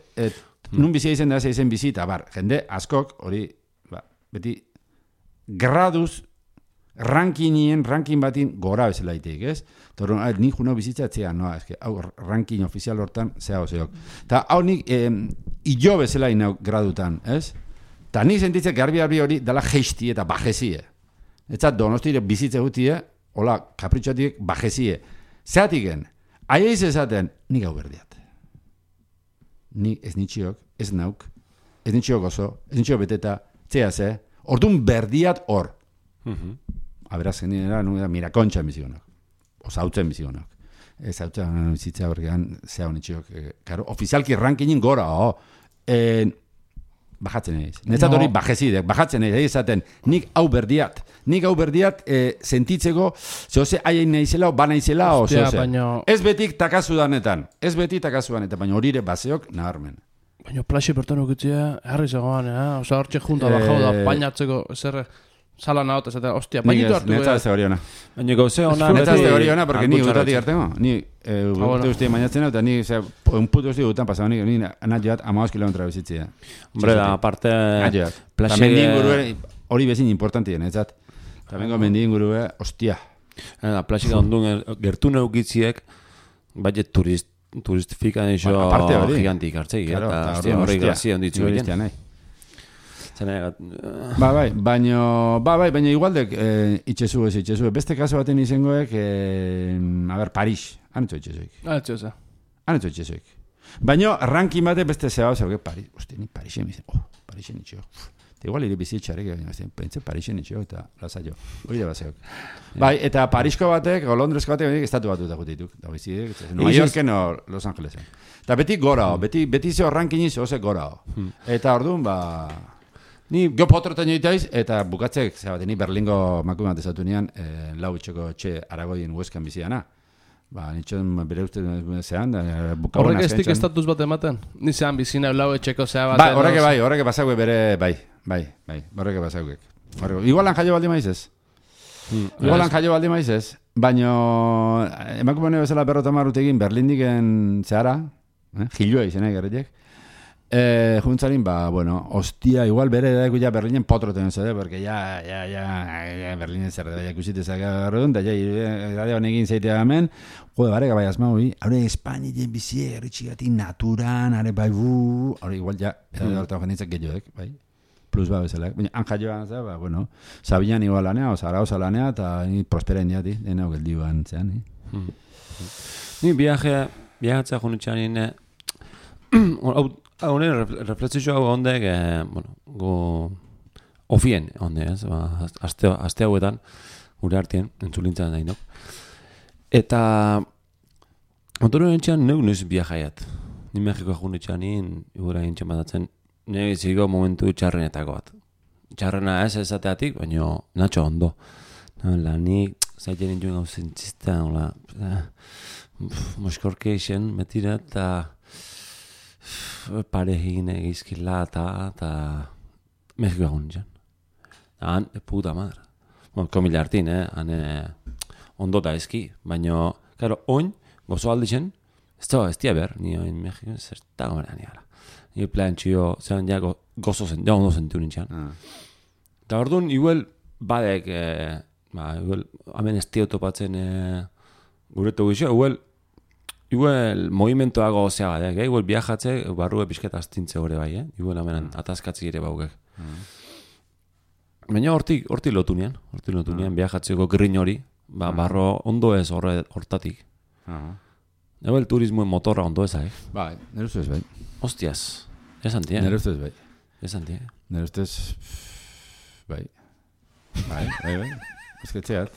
nun bizia izen da izen bizita, jende askok, hori, beti, graduz, ranking batin gora bezala itek, ez? Torron, nik juno bizitzatzea, hau ranking ofizial hortan, zeok. Ta hau nik, ilo bezala inau gradutan, ez? Ta nik sentitzek garbi hori dala geistie eta bajezie. Eta donostire bizitze gutie, hola, kapritxotiek bajezie. Zeatiken, aieiz esaten, nik hau berdiat. Ni ez nitxiok, ez nauk, ez nitxiok oso, ez nitxiok beteta, zea ze, orduan berdiat hor. Aberaz genera, mirakontxan bizionok, osautzen bizionok. Ez hautzen bizitzea horregan, zea honitxiok, ofizialki rankinin gora, bajatzen egin. Netzat hori bajezidek, bajatzen egin, ezaten, nik hau berdiat, sentitzeko, zehose aien nahizela, o banaizela, o zehose. Ez betik takazudanetan, baina horire baseok naharmen. Baina plaxe pertonu gitzea, herri zegoan, oza, hortxe junta bajau da, bainatzeko, zer, sala nahote, zatea, ostia, bainitu hartu. Netza ez teori hona. Baina gauze hona. Netza ez teori hona, porque ni utatik hartengo. Ni urte guztia bainatzen, eta ni, un puto guztia gutan pasau, ni anat joat 15 kilometra bizitzea. Hombre, da, aparte, plaxe... Mendien gurue, hori bezin importantien, etzat. Tamengo mendien gurue, ostia. Plaxe ondun gertu neukitziek, baiet turistifika nixo gigantik hartzei, eta horri grazia onditzu egin. Baina igualdek itxezu ez. Beste kaso baten izangoek, Parix, anetzo itxezuik. Anetzo itxezuik. Baina rankin bate beste zeba zauke Parix. Uste, ni Parixen izan. Parixen itxeo. Eta igual iri bizitxarek, pentsen Parixen itxeo eta laza jo. Hori da bazeok. Bai, eta Parixko batek, o Londresko batek, estatu batu eta gutituk. Da bizitek, New Yorken o Los Angelesen. Eta beti gora, beti zeo rankin izo, ose gora. Eta orduan, ni geopotroten joitaiz, eta bukatzek, ni Berlingo makumat ezatu nian, lau itxoko txe Aragoien Hueskan biziana. Nitxon bere uste zean, bukauen horrek estik estatuz bat ematen? Ni zean bizina lau etxeko zea baten? Horreke basague bere, bai, horreke basague. Igualan jaio baldi maiz ez. Baina, emakumene bezala berrotamar utegin Berlindiken zehara, jilua izena egarritek, juntzarin, ostia, igual bere dago ya Berlinen potroten zede, porque ya Berlinen zer da ikusitezak agarrodun, da ja honekin zeitea hemen, jode, bareka bai asma, haure Espainien bizie, erritxigatik naturan, are bai haure igual ja, hortan jenditzak gehiodek, bai, plus bezala, baina anjaioan, Sabinan igual lanea, Zaragoza lanea, eta prospera indiati, dena geldiuan zean, Ni viajatzea jonitxan honen reflexio hau ondek, ofien onde, azte hauetan, gure artien, entzulintzan nahi, no? Eta, ontoren entxean, neuk noiz viajaiat. Ni Mexikoa junitxan igura gintxan batatzen, nire biziko momentu txarrenetako bat. Txarrena ez ezateatik, baina natxo ondo. Nik zaiten nintuen gau zentzista, moskorke isen, metira, eta parehin egizkila eta Mexiko egun nintzen. Han, puta madre. Komila hartin, ondo da ezki, baina, karo, oin, gozo alditzen, ez tia behar, ni oin Mexiko, zerta gomera niala. Ni plan txio, zelan ja gozo zen, ja ondo zentu nintzen. Eta orduan, igual, badek, igual, hamen ez tio topatzen guretu gizio, igual, movimentoago zea badek, igual viajatze, barrue pixketa astintze gore bai, igual hamen atazkatzi ere baugek. Baina horti lotu nian, viajatzeko grin hori, barro ondo ez hortatik. Ego el turismoen motorra ondo ez, Bai, nire ustez bai. Hostias, ez antia. Nire ustez bai. Ez antia. Nire ustez, bai. Bai. Ez ketxeat.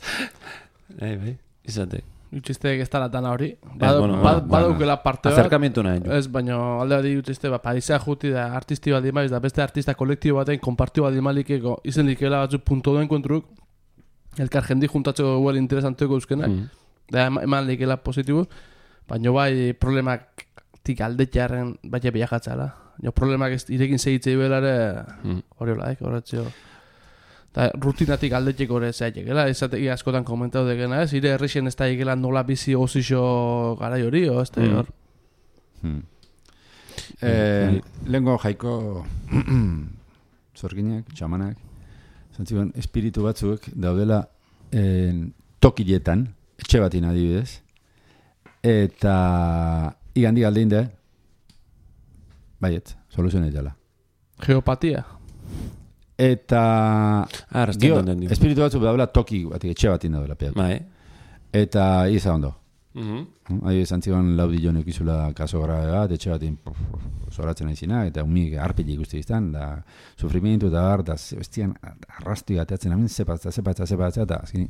Bai, izate. Utxizteek ez talatan hori. Badaukela parte bat. Acerkamientu nahi. Ez, baina alde bat utxizte, Parisea juti da artisti bat dimaiz, da beste artista kolektibo baten konpartio bat dimalikeko izen likela batzuk punto duen kontruk, elkar jendi juntatzeko guel interesanteko euskenak, da eman likela positibo, baina bai problemak tik aldetxearen baina biajatzala. Problemak irekin segitzei belare hori hola, horretzio. Da, rutinatik aldetik gore zaitekela, ezateki askotan komentatu dekena ez, ire herrixen ez da ikela nola bizi gozixo garai hori, ez da hor? Lehenko jaiko zorginak, txamanak, zantzikon, espiritu batzuk daudela tokiletan, etxe batin adibidez, eta igandik aldein de, baiet, soluzionet dela. Geopatia? Eta espiritu batzuk daudela toki batik, etxe batin daudela eta iza ondo zantzikon laudillo nekizula kaso gara bat, etxe batin zoratzen aizina, eta umik arpili ikusti izan, da sufrimientu eta bar, da bestian arrastu gateatzen amin zepatza, eta azkini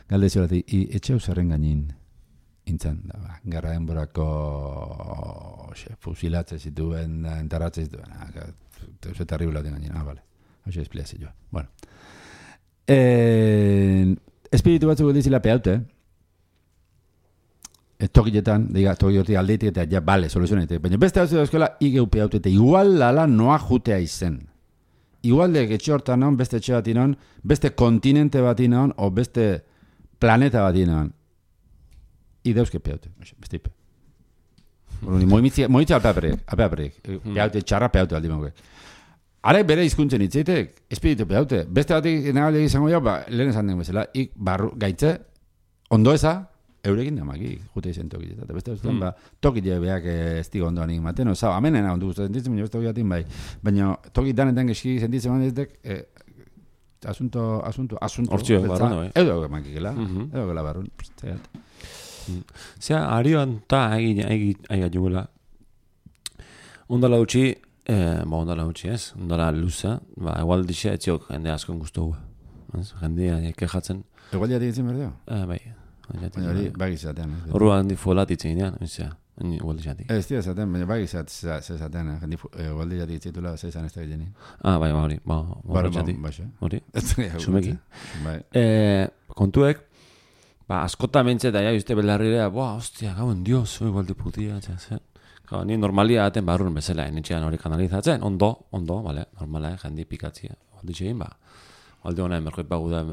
galdezio bat, etxe eusarren gainin intzan, gara denborako fusilatzen zituen, entaratzen zituen, eta terriblaten gainin, vale. Hoxe espliazioa. Bueno. Espiritu batzuk dizila peaute. Tokiletan, toki horti aldeitik eta ja, bale, soluzionetik. Baina beste hau zidazkoela, igeu peaute eta igual lala noa jutea izen. Igual de etxe hortan non, beste etxe bat inon, beste kontinente bat inon, o beste planeta bat inon. Ideuzke peaute. Beste ipe. Moitza alpeaperik. Peaute, txarra peaute aldi mauke. Ara bere hizkuntzen hitzeitek, espiritu peaute. Beste batik nagale izango jau, lehen esan den bezala, barru gaitze, ondo eza, eurekin damaki, jute izen tokile. Eta beste batean, tokile beak ez digo ondoan ematen, oza, amenena ondu guztu sentitzen, baina beste tokiatin bai. Baina tokidanetan geski sentitzen manetek, asunto. Hortxio, barrun, bai. Edo emakikela, edo gela barrun. Zea, arioan ta aiga jugula. Ondala utxi, ondala utxi ez, ondala luza, egual dixe etziok jende askon guztu gu. Jendea kejatzen. Egual diatik itzen berdeo? Bai. Bagizatean. Horruan folat itzen idean, egual dixeatik. Ez dira zaten, baina bagizatean, egual diatik itzitula zeizan ez da gilenin. Bai, hori, hori, txumeki. Kontuek, askota mentxe eta uste belarrirea, hostia, gauen dios, igual de putia, ni normalia aten barrun bezala, netxean hori kanalizatzen, ondo, vale, normala, jende pikatzia. Alditxein, alde hona emerkoit bagu da,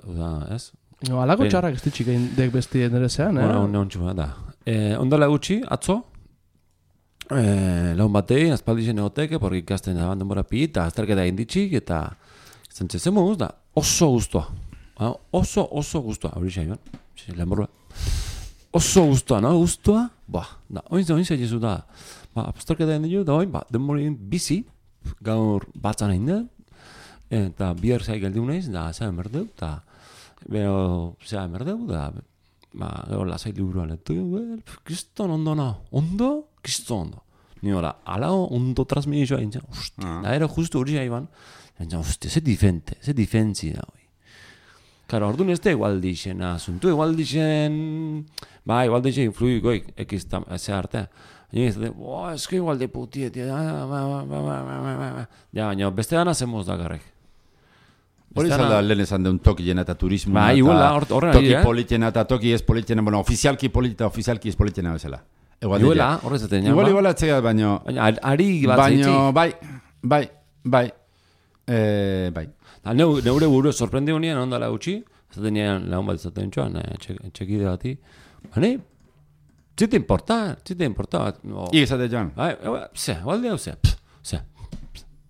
ez? Alako txarrak ez ditxik egin dek besti enderezean, Ona txuma, da. Ondala gutxi, atzo, laun batei, azpaldixen egoteke, porri ikasten da denbora pi, eta azterketa egin ditxik, eta zentzezen moduz da, oso guztua. Oso guztua, hori xaiban, lehenborua. Oso guztua, no? Guztua? Da, oin zehizu da. Azterketa egin ditu, da oin, denborin bizi, gaur batzan egin da, eta bier zai geldi unaiz, da, zea emerdeu, eta zea emerdeu, da, gaur lasai liburuan, eta, kriston ondo na, kriston ondo. Ni hola, alao ondo transmitizoa egin zen, da, ero justu hori jaiban, ze difentzi da, oi. Claro, orduan ez da igual dixen asuntu, igual dixen influikoik, ze arte. Ez que igual de putiet, baina beste dana zemoz da garrek. Hori zalda lehen esan deun toki jena eta turismo, toki politena eta toki ez politena, bueno, ofizialki politena, ofizialki ez politena bezala. Iguela, horrezaten. Igual atzea, baino... Ari batzeitzi. Baino, bai. Neure buru sorprendi honien, ondala gutxi, zaten nian lagun bat izaten txoan, txekide bati. Bane, zite importa. Igazate joan. Balde hau ze.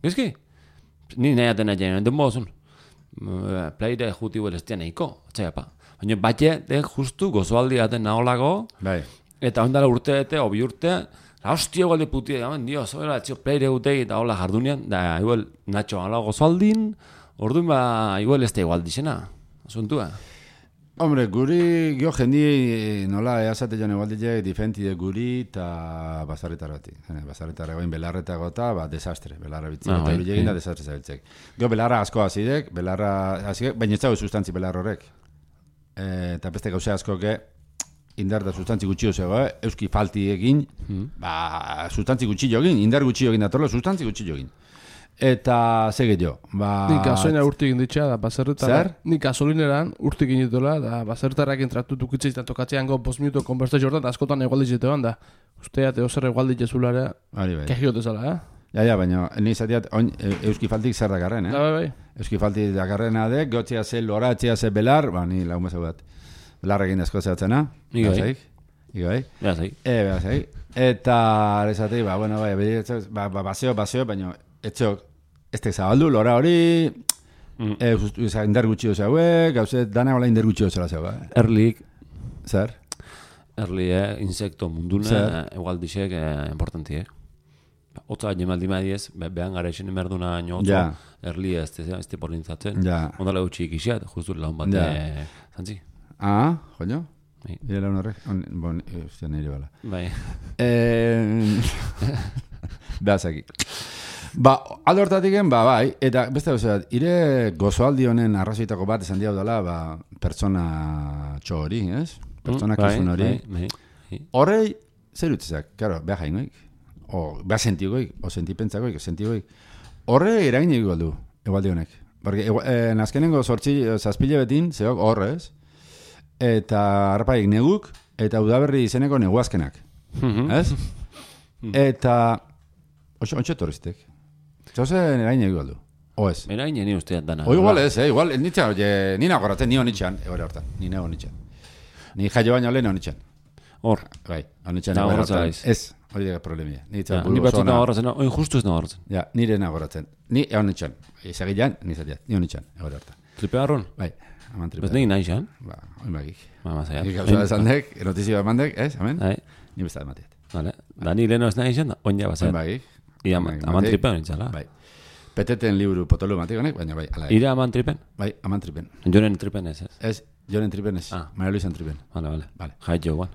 Gizki? Ni nahi atena jenen, den bozun. Plaire juti huelestian eiko, txaiapa. Baina batxe, justu gozoaldi aten naholako, eta ondala urte, obi urte, hostia igual de putia, Dios, hola, txio, plaire gutei, eta hola jardunean, da, igual, Nacho, ala gozoaldin, orduan igual ez da igual dixena, asuntua. Hombre, guri, gio jendi, nola, eazate joan egualdile, difentide guri, eta basarritarrati. Basarritarra goin belarretako eta, desastre, belarra bitzek, eta hori da desastre zabiltzek. Gio belarra asko hazidek, baina ez dago sustantzi belarra horrek. Eta beste gauze askoke, indar da sustantzi gutxi zego, euski falti egin, sustantzi gutxi jogin, indar gutxi jogin datorlo, sustantzi gutxi jogin. Eta sege jo, Nik gasolinera urtik inditxea, da baserretara. Zer? Nik gasolineran urtik inditola, da baserretarrak entratu dukitzea izan tokatzean 5 minuto konbertsazio hortan, da askotan egualditzetean, da usteat eozer egualditzezularea, kehiote zala, Ja, baina, nizatiat, euski faltik zer dakarren, Bai. Euski faltik dakarrena dek, gotzea ze loratzea ze belar, ni lagun bat. Belarrekin asko zehatzena. Igai. Beazai. Eta, esatei, baseo, baina, etxok, ez tek zabaldu, lora hori, indar gutxi doza hauek, gauzet, dana hola indar gutxi doza zeu, Erlik. Zer? Erli, insekto mundune, egualdixek, importantiek. Otza jemaldi madiez, behan gara esen emerduna nioto, erli ez te polintzatzen. Ondala gutxi ikisiat, justu laun bat, zantzi. Joño? Ire laun horrek? Bon, ustia nire bala. Bai. Beazaki. Aldo hortatik bai, eta beste gauzeat, ire gozoaldi honen arrazoitako bat esan diau dela, pertsona txo hori, ez? Pertsona kasun hori. Horrei, zer utzizak, karo, beha jaingoik. Beha sentigoik, o sentipentzagoik, horre eragin egin du, egualdi honek. Porque nazkenengo zazpile betin, zehok horrez, eta harpaik neguk, eta udaberri izeneko neguazkenak. Ez? Eta, ontsa torriztek. Txauzen eragin egin du. Oez. Eragin egin usteat dana. Igual ez, igual, nina goratzen, ni honitxan, egore hortan, nina honitxan. Ni jaio baino lehen honitxan. Hor. Bai, honitxan egore hortan. Ez. Hori daga problemia. Ni batzut nagoratzen, oin justu ez nagoratzen. Ja, nire nagoratzen. Ni egon nitxan. Ezagilean, nizatiat. Ni egon nitxan, egore harta. Tripe garron? Bai, aman tripe. Bez negin nahi xan? Oin bagik. Mazaiat. Nik gauza desandek, notizio emandek, ez, amen? Ni besta dematiat. Vale. Da ni leheno ez nahi xan, oin ja bazaiat. Oin bagik. Aman tripen nintzala. Bai. Peteten liburu potolu matik honek, baina bai, ala. Ira aman tripen? Bai, aman tripen. Jonen tripen ez, ez? Ez, jonen tripen ez. Maria Luisan tripen. Vale. Jait jo, guan.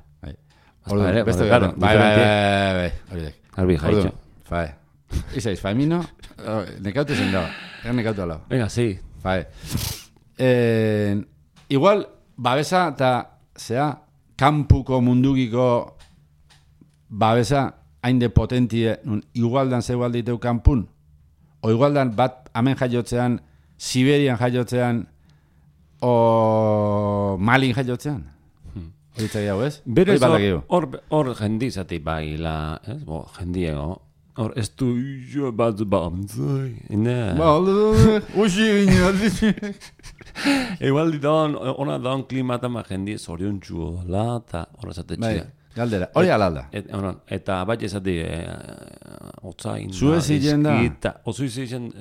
Beste gara, bai, hori dek. Garbi jaitxo. Fai. Izaiz, fai mino, nekautu zen dago. Nekautu alau. Venga, sí. Fai. Igual, babesa eta, kampuko mundugiko babesa hainde potentie, igualdan zegoal diteu kampun, o igualdan bat hemen jaiotzean, Siberian jaiotzean, o Malin jaiotzean. Horitzak jau, ez? Berez hor jendizati bai la, ez? Jendiego. Hor ez du bat bantzai. Uxi gine. Igual ditan, ona dan klimata ma jendi zorion txuo la, eta horrezate txia. Galdera, hori alalda. Eta bat ezati otzain. Suezien da. Suezien.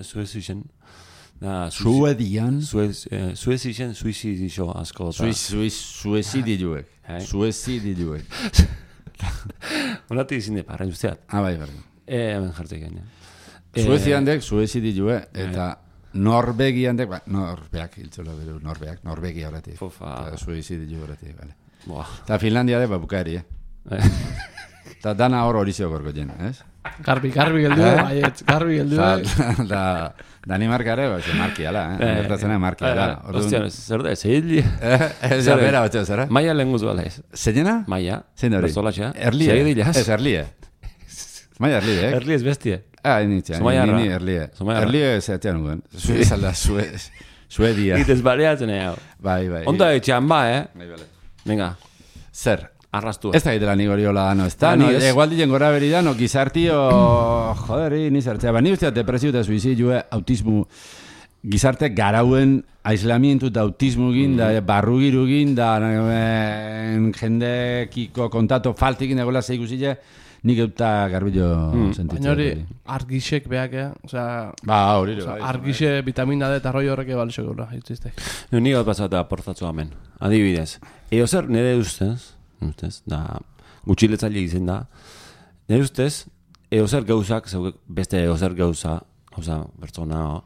Suedian? Suezien suizidixo asko. Suezidioek. Suezidioek. Onati izin de parra usteat. Bai, barri. Hemen jartek gaina. Suezian dek, suezidioek, eta Norvegian dek, Norbeak, hiltzola beru, Norvegia horretik. Suezidio horretik, bale. Eta Finlandia dek, bukaeri, Eta dana hori zio gorko jen, ez? Garbi geldu, baietz, garbi geldu. Danimarka ere, markiala, Gertatzena markiala. Ostia, zer da, zeili? Ez bera batxo, zera? Maia lehen guzu bala ez. Zeinena? Maia. Zein hori? Berzolatxea. Erlie. Ez, Erlie. Maia Erlie, eh? Erlie ez bestie. Nintzen, ni Erlie. Erlie zeatean nuen. Zuezalda, Suedia. Itez bareatzen ega. Bai. Onda etxean ba, Bai, bale. Venga. Zer? arrastu. Ez da egitela nik hori hola dano, ez da, egual diren gora beri da, no, gizartio, joderi, ni zertzea, ni usteat depresio eta suizidioa, autismo, gizarte garauen aislamientu eta autismo gin, da barrugiru gin, da jendekiko kontato faltikin egola zeigusile, nik euta garbillo sentitzen. Baina hori argisek behak, hori. Argise vitamina D eta roi horreke balixo gaur, hitziztek. Nik hau pasata aportatzu hemen, adibidez. Zer nire ustez, da gutxiletzaile izen da, nire ustez, zer gauzak, beste zer gauza bertzona,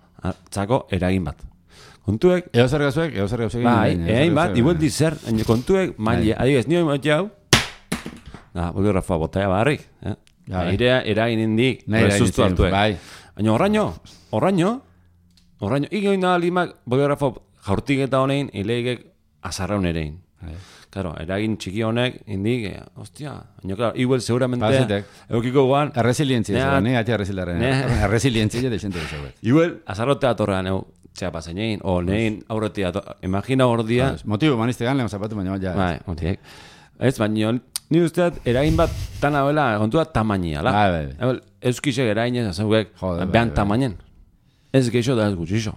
txako eragin bat. Kontuek... Zer gauzak? Bai, eragin bat, igual dizer, kontuek, maile, adibidez, nire emot jau, boliografoa botaia barrik, irea eragin indik, sustu hartuek. Baina horraino, ikoin da limak boliografoa jaurtik eta honein, ilegek azarraun erein. Claro, eragin txiki honek, indik, hostia, baina, claro, igual seguramente, eukiko guan... Resilientzia, atia resilientzia de xente de zauet. Igual, azarrotea torrean, txea pasen egin, o nein aurretia, imagina hor dia... Motibo, maniste gan, lehon zapatu, baina ja... Bai, motiek. Ez, baina, ni usteat, eragin bat tan abela, kontua tamainia, la? Bai. Euskisek eragin ez, azauek, behan tamainen. Ez geixo da ez gutxixo.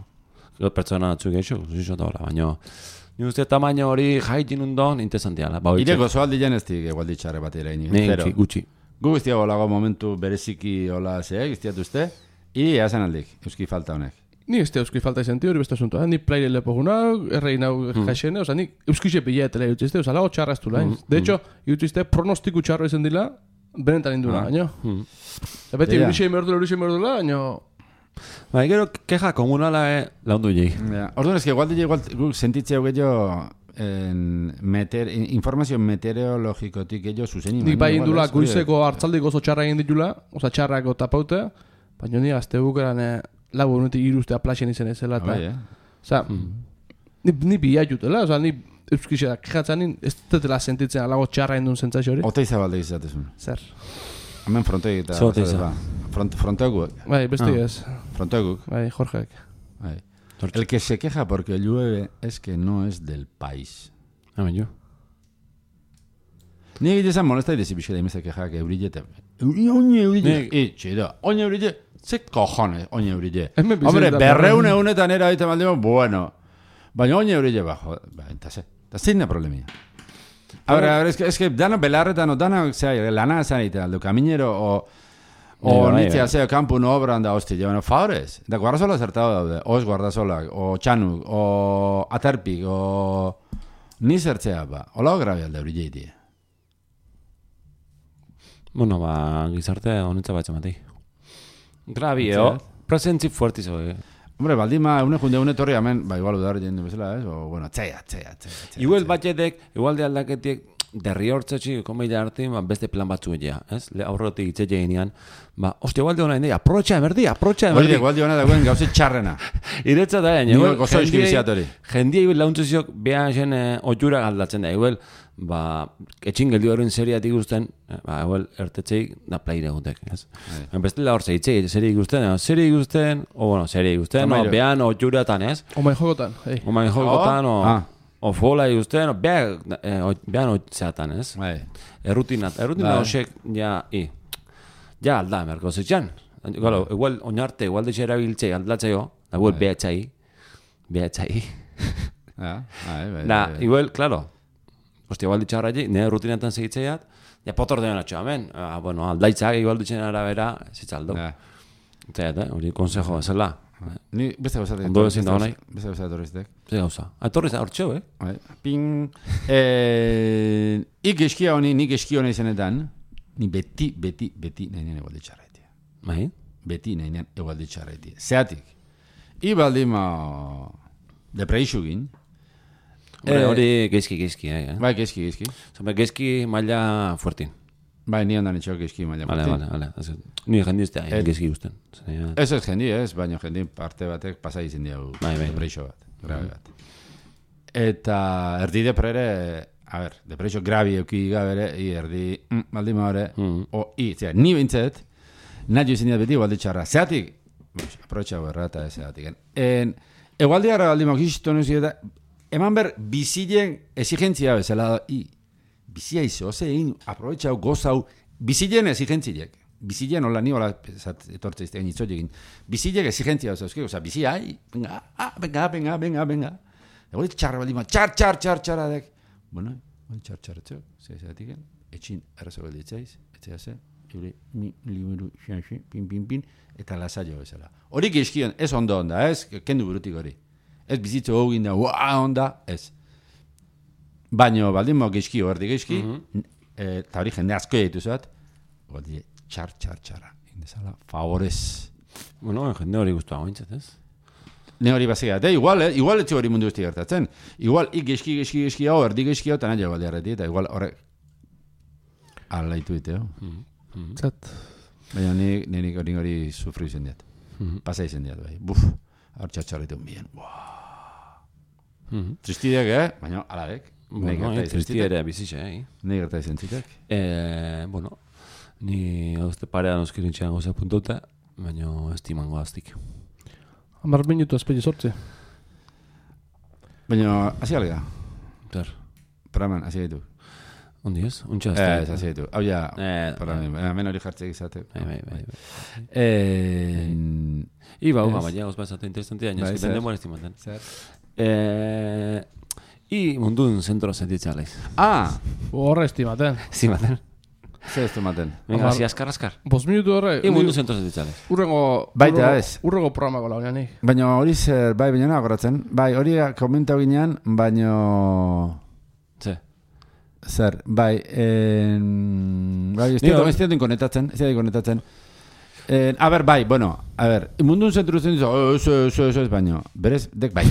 Pertsona batzu geixo, gutxixo da hola, baina... Ni uste tamaina hori jaitin undon, interesantiala. Ireko zoaldi janeztik egualdi txarre bat eraini. Gutxi. Gu guztiago lago momentu bereziki hola zeak, iztiatu uste, iri eazan aldik, euski falta honek. Ni ez euski falta izanti hori beste asunto, ni plaire lepo guna, errein hau jaixene, oza, ni euskixe piletela jutizte, oza, lago txarra ez du lain. De hecho, jutizte pronostiku txarro izan dila, benetan indula, baina. Beti, urixei merdula, baina... Ba, gero, keja komunala laundu jei. Orduan, eski, igual guk sentitzea gehiago informazio meteorologikotik gehiago zuzen. Nik bai indula, goizeko hartzaldik oso txarra egin ditula, oza, txarrako tapaute, baina ni azte bukeran lagu honetik iruztea plaxen izan ezela. Oza, ni bia jutela, oza, ni euskixera kejatzen, ez dutela sentitzen alago txarra indun zentzazio hori. Ota izabalde izatezun. Zer? Hemen frontegi eta... Fronteguk. Bai, besti ez. Fronteguk. Bai, Jorgeek. Bai. El que se queja porque llueve es que no es del país. Hemen jo. Ni egitezan molesta idezi bixera imezak queja que eurillete. Eurille. Chido. Oñe eurille. Ze cojones, oñe eurille. Hombre, berreun egunetan era ahí te maldimo, bueno. Baina oñe eurille bajo. Entase. Eta zein da problemia. A ver, es que dano belarretan o dano, lana zanita, aldo kaminero o nitzea zeo kampu no obran da hosti, bueno, favorez. Da guardasola zertado daude, os guardasolak, o txanuk, o aterpik, o ni zertzea ba. Ola grabi alde hori jeitie. Bueno, ba, gizarte honetza batxe matei. Grabi, presentzi fuertizo, Hombre, baldima, une torri hemen, ba, igual udar jendu bezala, o, bueno, txea. Igual batxetek, igual de aldaketiek, derri hortzetxi, komeila hartin, beste plan batzu egia, ez? Aurrotik itzetxe ginean, hostia, igual de hona indei, aprotxa emerdi. Hori, igual de hona dagoen gauzit txarrena. Iretza da, igual, gozo eskibiziatori. Jendia, igual, launtzeziok, behan zen oitura galdatzen da, igual, etxin geldi horren seriatik guzten, igual, ertetzei, da plaire egutek, ez? Bestela hor zeitzei, serie igusten, behan oituratan, ez? Omain jokotan, o fola igusten, behan oitzeatan, ez? Errutina hosek, ja alda, merko zitxan. Igual, oinarte, igual ditxe erabiltzei, aldatzeo, da igual behatxai. Da, igual, klaro, hostia, igual ditxe harraik, nire rutinatan segitzeiat, ja potor denan atxo, amen. Bueno, aldaitzak igual ditxen arabera, zitzaldo. Eta, hori konsejo, ezela. Ni beste gauzatik. Ondo ezin da honai. Beste gauzatik torriztek. Beste gauza. Torriz da, hortxeo, Ping. Ik eskia honi zenetan, ni beti nahi nien egualdi txarraitia. Bai? Beti nahi nien egualdi txarraitia. Zeatik. Ibaldima depreisugin. Hori gezki. Bai, gezki. Gezki maila fuertin. Bai, ni ondan etxeo gezki maila fuertin. Vale. Ni jendiztea, gezki guzten. Ez jendi, baina jendi parte batek pasai izin diagu. Bai. Depreisio bat, grabe bat. Eta erdi deprere, depreisio grabi euki gabere, erdi baldima hori, ni bintzet, nahi izin beti egualdi txarra. Zeatik, aprotxago errata zeatik. Egualdi gara baldima, eman ber, bizilen exigentzia bezala bizia izo, zein, aprobetxau, gozau, bizilen exigentziek. Bizilen hola ni hola etortze iztegan itzotekin. Bizilek exigentzia zauzkiko, oza, bizia, venga. Egori txarra baldima, txarradek. Bueno, txarratxo, zehazatiken, etxin errazo galditzaiz, etxeaze, liburu, xanxi, pin, eta lasaio bezala. Hori geizkion, ez ondo onda, ez, kendu burutik hori. Ez bizitzo hogin da, onda, ez. Baino, baldin geizkio, erdi geizki, eta hori jende asko ditu zat, hori txarra, indezala, favorez. Bueno, jende hori guztua gointzat, ez? Ne hori bazia, igual etxe hori mundu guzti gertatzen. Igual, geizki hau, erdi geizki hau, eta nahi baldi arreti, eta igual horrek alaitu diteo. Zat. Baina nirik hori sufri izen diat. Pasa izen diat, bai. Buf, hor txarritu bien. Tristideak, baina aladek. Tristidea bizitza, Nei gerta izen zitek. Bueno, ni hauzte parean oskirintxean gozea puntuta, baina estimango aztik. 10 minutu azpegi sortze. Baina, hasi alga? Zer. Paraman, hasi gaitu. Ondi ez? Untxa azte. Hasi gaitu. Hau ja, paraman, hemen hori jartzek izate. Bai. Iba, baina goz bazate interesantia, nioski bende estimaten. Zer. Mundun zentro sentitzea laiz. Horre estimaten. Estimaten. Zer estimaten. Venga, hasi askar. 5 minutu horre. Mundu zentro sentitzea laiz. Baita ez. Urrengo programako launeanik. Baina hori zer, bai, baina nagoratzen. Bai, hori komentau ginean, baina... Zer, bai, ez dira konetatzen. A ber, bai, bueno, a ber, mundun zentru ez, baina, berez, dek bai.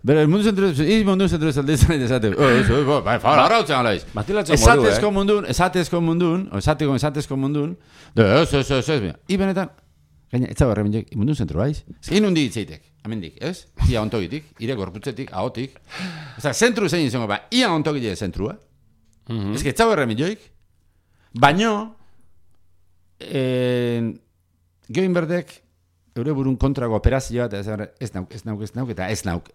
Bere, mundu zentru ez aldeizan edesate, bai, fara, arrautzen alaiz. Esatezko mundun, benetan, gaina, ez zago erremendiek, mundun zentru baiz, zein hundi itzeitek, amendik, ez? Ia ontogitik, ire gorputzetik, ahotik. Oza, zentru zein izango, ba, ia ontogitek zentrua. Ez que ez zago erremendioik. Baino, geoin berdek, eure burun kontrago operazioa, eta ez nauk.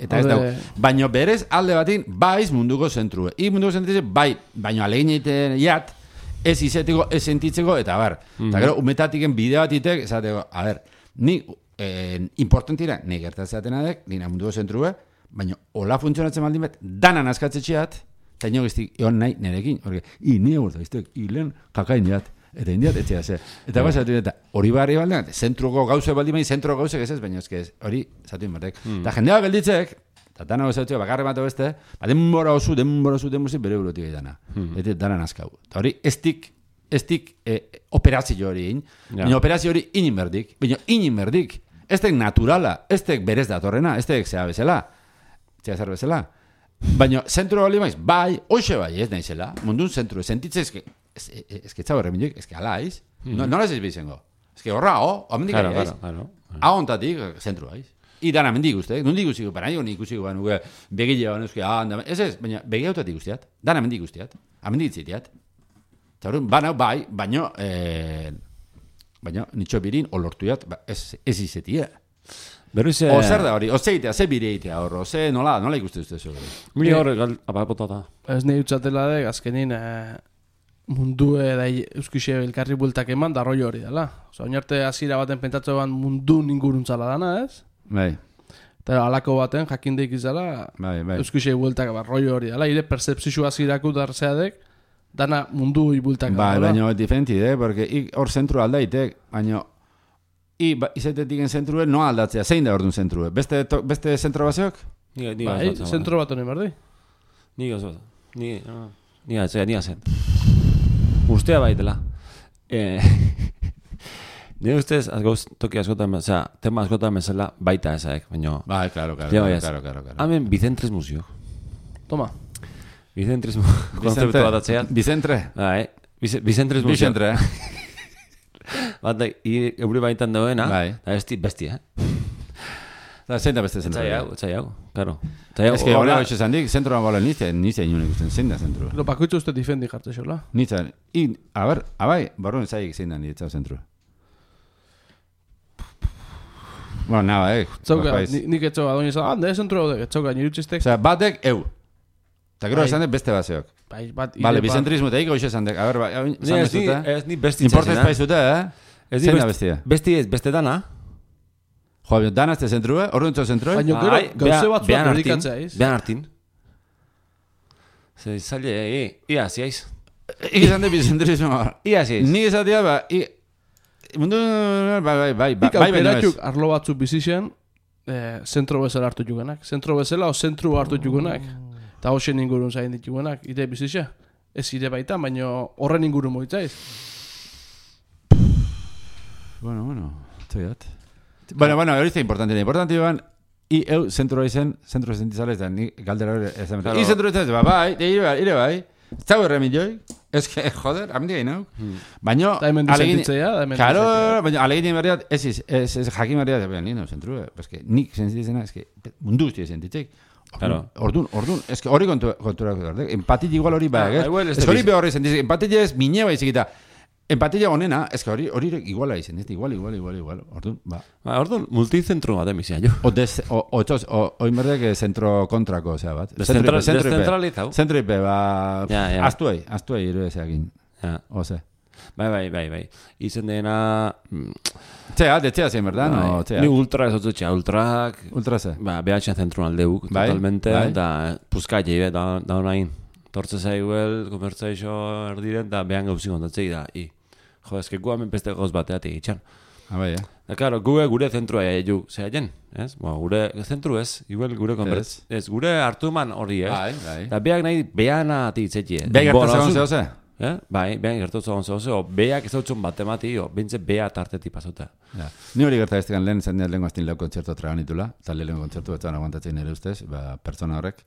Baino berez, alde batin, baiz munduko zentrua. Munduko zentrua, bai, baino alegin egiten jat, ez izeteko, ez sentitzeko, eta bar. Eta gero, umetatiken bide bat itek, esateko, a ber, ni importantira, ni gertatzeaten adek, nina munduko zentrua, baina hola funtzionatzen baldin bat, danan askatzetxeat, eta inogiztik, egon nahi nerekin, ni egurta, lehen kakain jat, eta indiat, etxea ze. Eta basatu eta hori barri baldean, zentruko gauze baldin bai, zentruko gauze ez, baina ez, hori zatu inbatek. Eta jendea gelditzek, eta dana gozatxea, bakarre bat beste, denbora oso bere burutik dana. Eta dana nazkau. Eta hori, ez tik operazio hori baina operazio hori inimerdik, baina inimerdik, ez tek naturala, ez tek berez datorrena, ez tek zea bezala, baina zentru hori maiz, bai, hoxe bai, ez naizela, mundun zentru, sentitze ezke txau erreminduk, ezke alaiz, nola ez bizengo, ezke horra, amendik aiz, ahontatik, zentru aiz. Dana mendik uste, nondik ikusiko, baina nik ikusiko, baina begile baina ez, baina begile autatik guztiat, dana mendik guztiat, amendik itzitiat. Baina, bai, baina nitxo birin olortuat, ez izetia. O zer da hori, ozeitea, ze bireitea horro, ze nola ikuste uste zu. Mili horre, apapotata. Ez nahi utzatela dek, azkenin mundu da euskixe elkarri bultak eman, da roi hori dela. Oinarte hasiera baten pentsatzean mundu inguruntzala dana, ez? Bai. Eta alako baten jakindeik izala, euskixe bultak roi hori dela. Ire percepzio hasierako darzeadek, dana mundu ibultak. Bai, baina diferenti, porque hor zentru aldaitek, baina izatetik en zentrue, no aldatzea, zein da orduan zentrue? Beste zentro baseok? Bai, zentro bat honen berdi. Ni gozot. Ni azen. Ustea baitela. Ni ustez, toki askotan, tema askotan bezala baita ezaek, baina... Bai, claro. Hemen Bicentres musio. Toma. Bicentres konzeptu bat atzean. Bicentre? Bai, Bicentres musio. Bicentre, Bat, euri baitan dagoena, eta bestia, Zein da beste zentro? Etzai hau, karo. Ez que hola hoxe zandik, zentroan gola nizte inunik usten, zein da zentro? Lo pakoitzu uste difendi jartze xola. Nitzan, a ber, abai, barruen zaik zein da nitzau zentro. Bueno, naba, Zauka, nik etxoga, doni zan, zentro hau dek, etxoga, nirutxistek. Osa, batek, eta gero esan beste baseok. Vale, bicentrismo teik, hoxe esan dek. A ver, ez ni besti importa espaizute, Zein da bestia? Besti ez, beste dana. Jo, dana ez te zentrue? Orduntzo zentrue? Baina gero, gauze batzuak dedikatzea iz. Behan hartin. Zer, zaila, ia ziaiz. Ikizan de bicentrismo. Ia ziaiz. Nik esatia, mundu, bai. Nik aukeratuk arlo batzuk bizixen, zentro bezala hartu jugenak. Zentro bezala o zentru hartu jugenak. Eta hoxen ingurun zain dituguenak. Ide bizixe. Ez ide baita, baina horren ingurun moitzaiz. Bueno, toiat. Bueno, hori ez importante. Importante joan, zentro sentizales da, ni galdera hori ez da. I zentro ez da, bai, ire bai. Zau erremin joi. Ez que, joder, amendik egin hau. Baina, claro, baina alegin berriat, ez jakin berriat, nino, zentru, nik sentitzena, mundu guzti sentitzek. Orduan, ez que hori konturako da, empatia igual hori bai, ez hori behorri sentitzek, empatia ez mine bai zikita. Empatia onena, ez que hori iguala izan, igual. Orduan, ba. Orduan, multicentro bat emizia jo. Oin berdek zentro kontrako, osea bat. Descentralizau. Zentro ipe, ba, astuei, irudezeakin. Ose. Bai. Izen dena... Detzea zen, berda, no? Ni ultra ez otzutxea, ultrak... Ultra ze? Ba, behatxean zentruan aldeuk, totalmente, da puzkatxe, da honain. Tortze zaiguel, komertzaixo erdiren, da behan gauzik ondatzei da, Jo, ezke gu hamen peste gauz bateatik itxan. Bai, Da, karo, gure zentrua egu, zehaien, ez? Gure zentru ez, igual gure konbertz. Ez, gure hartu man hori, Bai. Da, beak nahi, beana atik Beak gertatzen zehose? Bai, behan gertatzen zehose, o beak ez hautzen bat emati, o bintze bea tartetik pasota. Ni hori gertatzen lehen, zen lehen guaztin lau kontzertu traganitula, eta lehen kontzertu betzan aguantatzen nire ustez, pertsona horrek.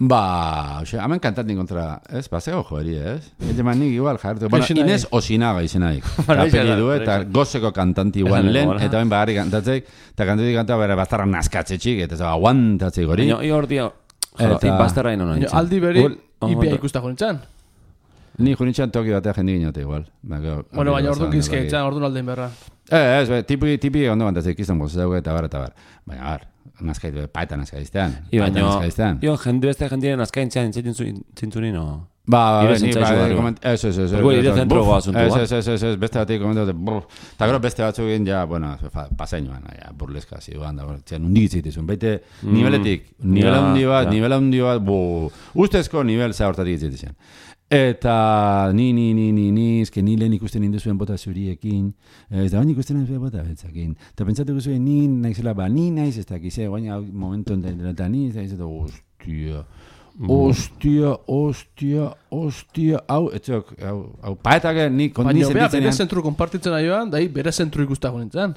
Hemen kantatin kontra, ez? Zego joeri, ez? Eman nik igual jartu. Inez Osinaga izenaik. Apeli du, eta gozeko kantanti igual lehen, eta ben bagarri kantatzeik, eta kantatik kanta bera bastarra naskatzetxik, eta zaba aguantatzeik hori. Ni hor dio, bastarra ino nintzen. Aldi beri, ipia ikusta jonintzen? Ni jonintzen toki batea jendik inote igual. Bueno, baina orduan gizkeitzen, orduan aldein berra. Ez, tipi ondo bantatzeik izan bozatzeuk eta bar. Baina bar. Nazkaitu, paeta nazkaiztean. Io, jendiren nazkaintzean zintzuni, no? Ez. Beste batik komentatu, eta gero beste batzuk egin, pasainuan, burleska ziduan, nundik itzitizun, baite niveletik, nivela hundi bat, ustezko nivel zahortatik itzitizun. Eta ni lehen ikusten induzuen bota zuriekin, ez da baina ikusten induzuen bota betzakin. Eta pentsatuko zuen ni naizela, ni naiz ez dakize, baina momentu eta ni ez da, ostia, hau, paetak ni kondi sentitzen. Baina bere zentru konpartitzen aioan, dahi bere zentru ikustago nintzen.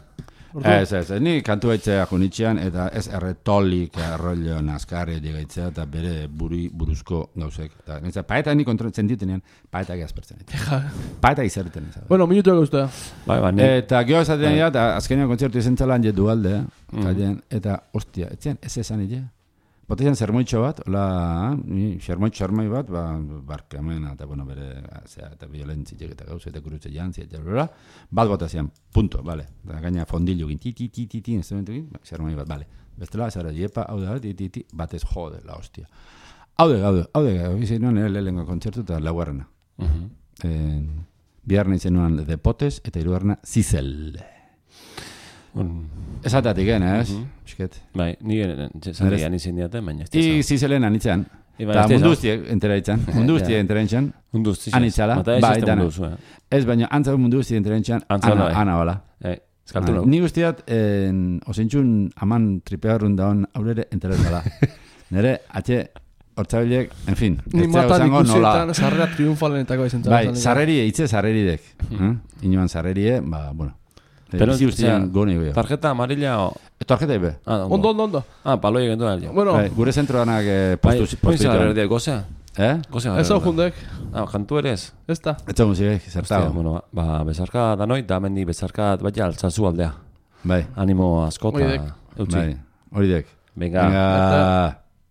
Ez, ni kantu baitzea junitzean, eta ez erretolik, errollo, nazkarri digaitzea, eta bere buruzko gauzek. Paeta ni kontroltzen ditenean, paetak azpertzen. Paetak izarriten. Bueno, minutu eguztea. Eta geho esaten dira, eta azkenean kontzertu izen txalan jedu alde, eta ostia, etzean, ez esan ide. Botean zermoitxo bat, zermoi bat, barkamena, eta bere, eta violentzitek eta gauz, eta kurutze jantzi, eta bat botazian, punto, bale. Gaina fondilu gin, ti, zermoi bat, bale. Bestela, zara, jepa, hau da, batez jode, la hostia. Hau de, izan nuen lehenko kontzertu eta laugarrena. Biharna izan nuen Depotes, eta hirugarrena Zizel. Esatatik, ez? Bai, nire izan diaten, baina ez dizan. Zizelen anitzean. Eta mundu guztiek entera ditzen. Mundu guztiek entera ditzen. Anitzala. Bai, dana. Ez, baina antzago mundu guztiek entera ditzen. Ana, bala. Eskaltu Ni guztiat, osintxun aman tripearrun daun aurrere entera dela. Nere, hortzabilek, en fin. Ni matan ikusietan sarrera triunfalenetako izan. Bai, sarrerie, itze sarreridek. Inoan sarrerie, bueno. Pero tarjeta amarilla o... Tarjeta ibe. Ondo. Paloi egin duela. Bueno, gure zentro danak postu. Poizia berdia, gozea? Ez hau jundek. Jantu ere ez? Ez da. Ez hau musikek, zertago. Bueno, bezarka da noi, da mendi bezarka bat altzazu aldea. Bai. Animo askota. Bai, hori dek. Venga.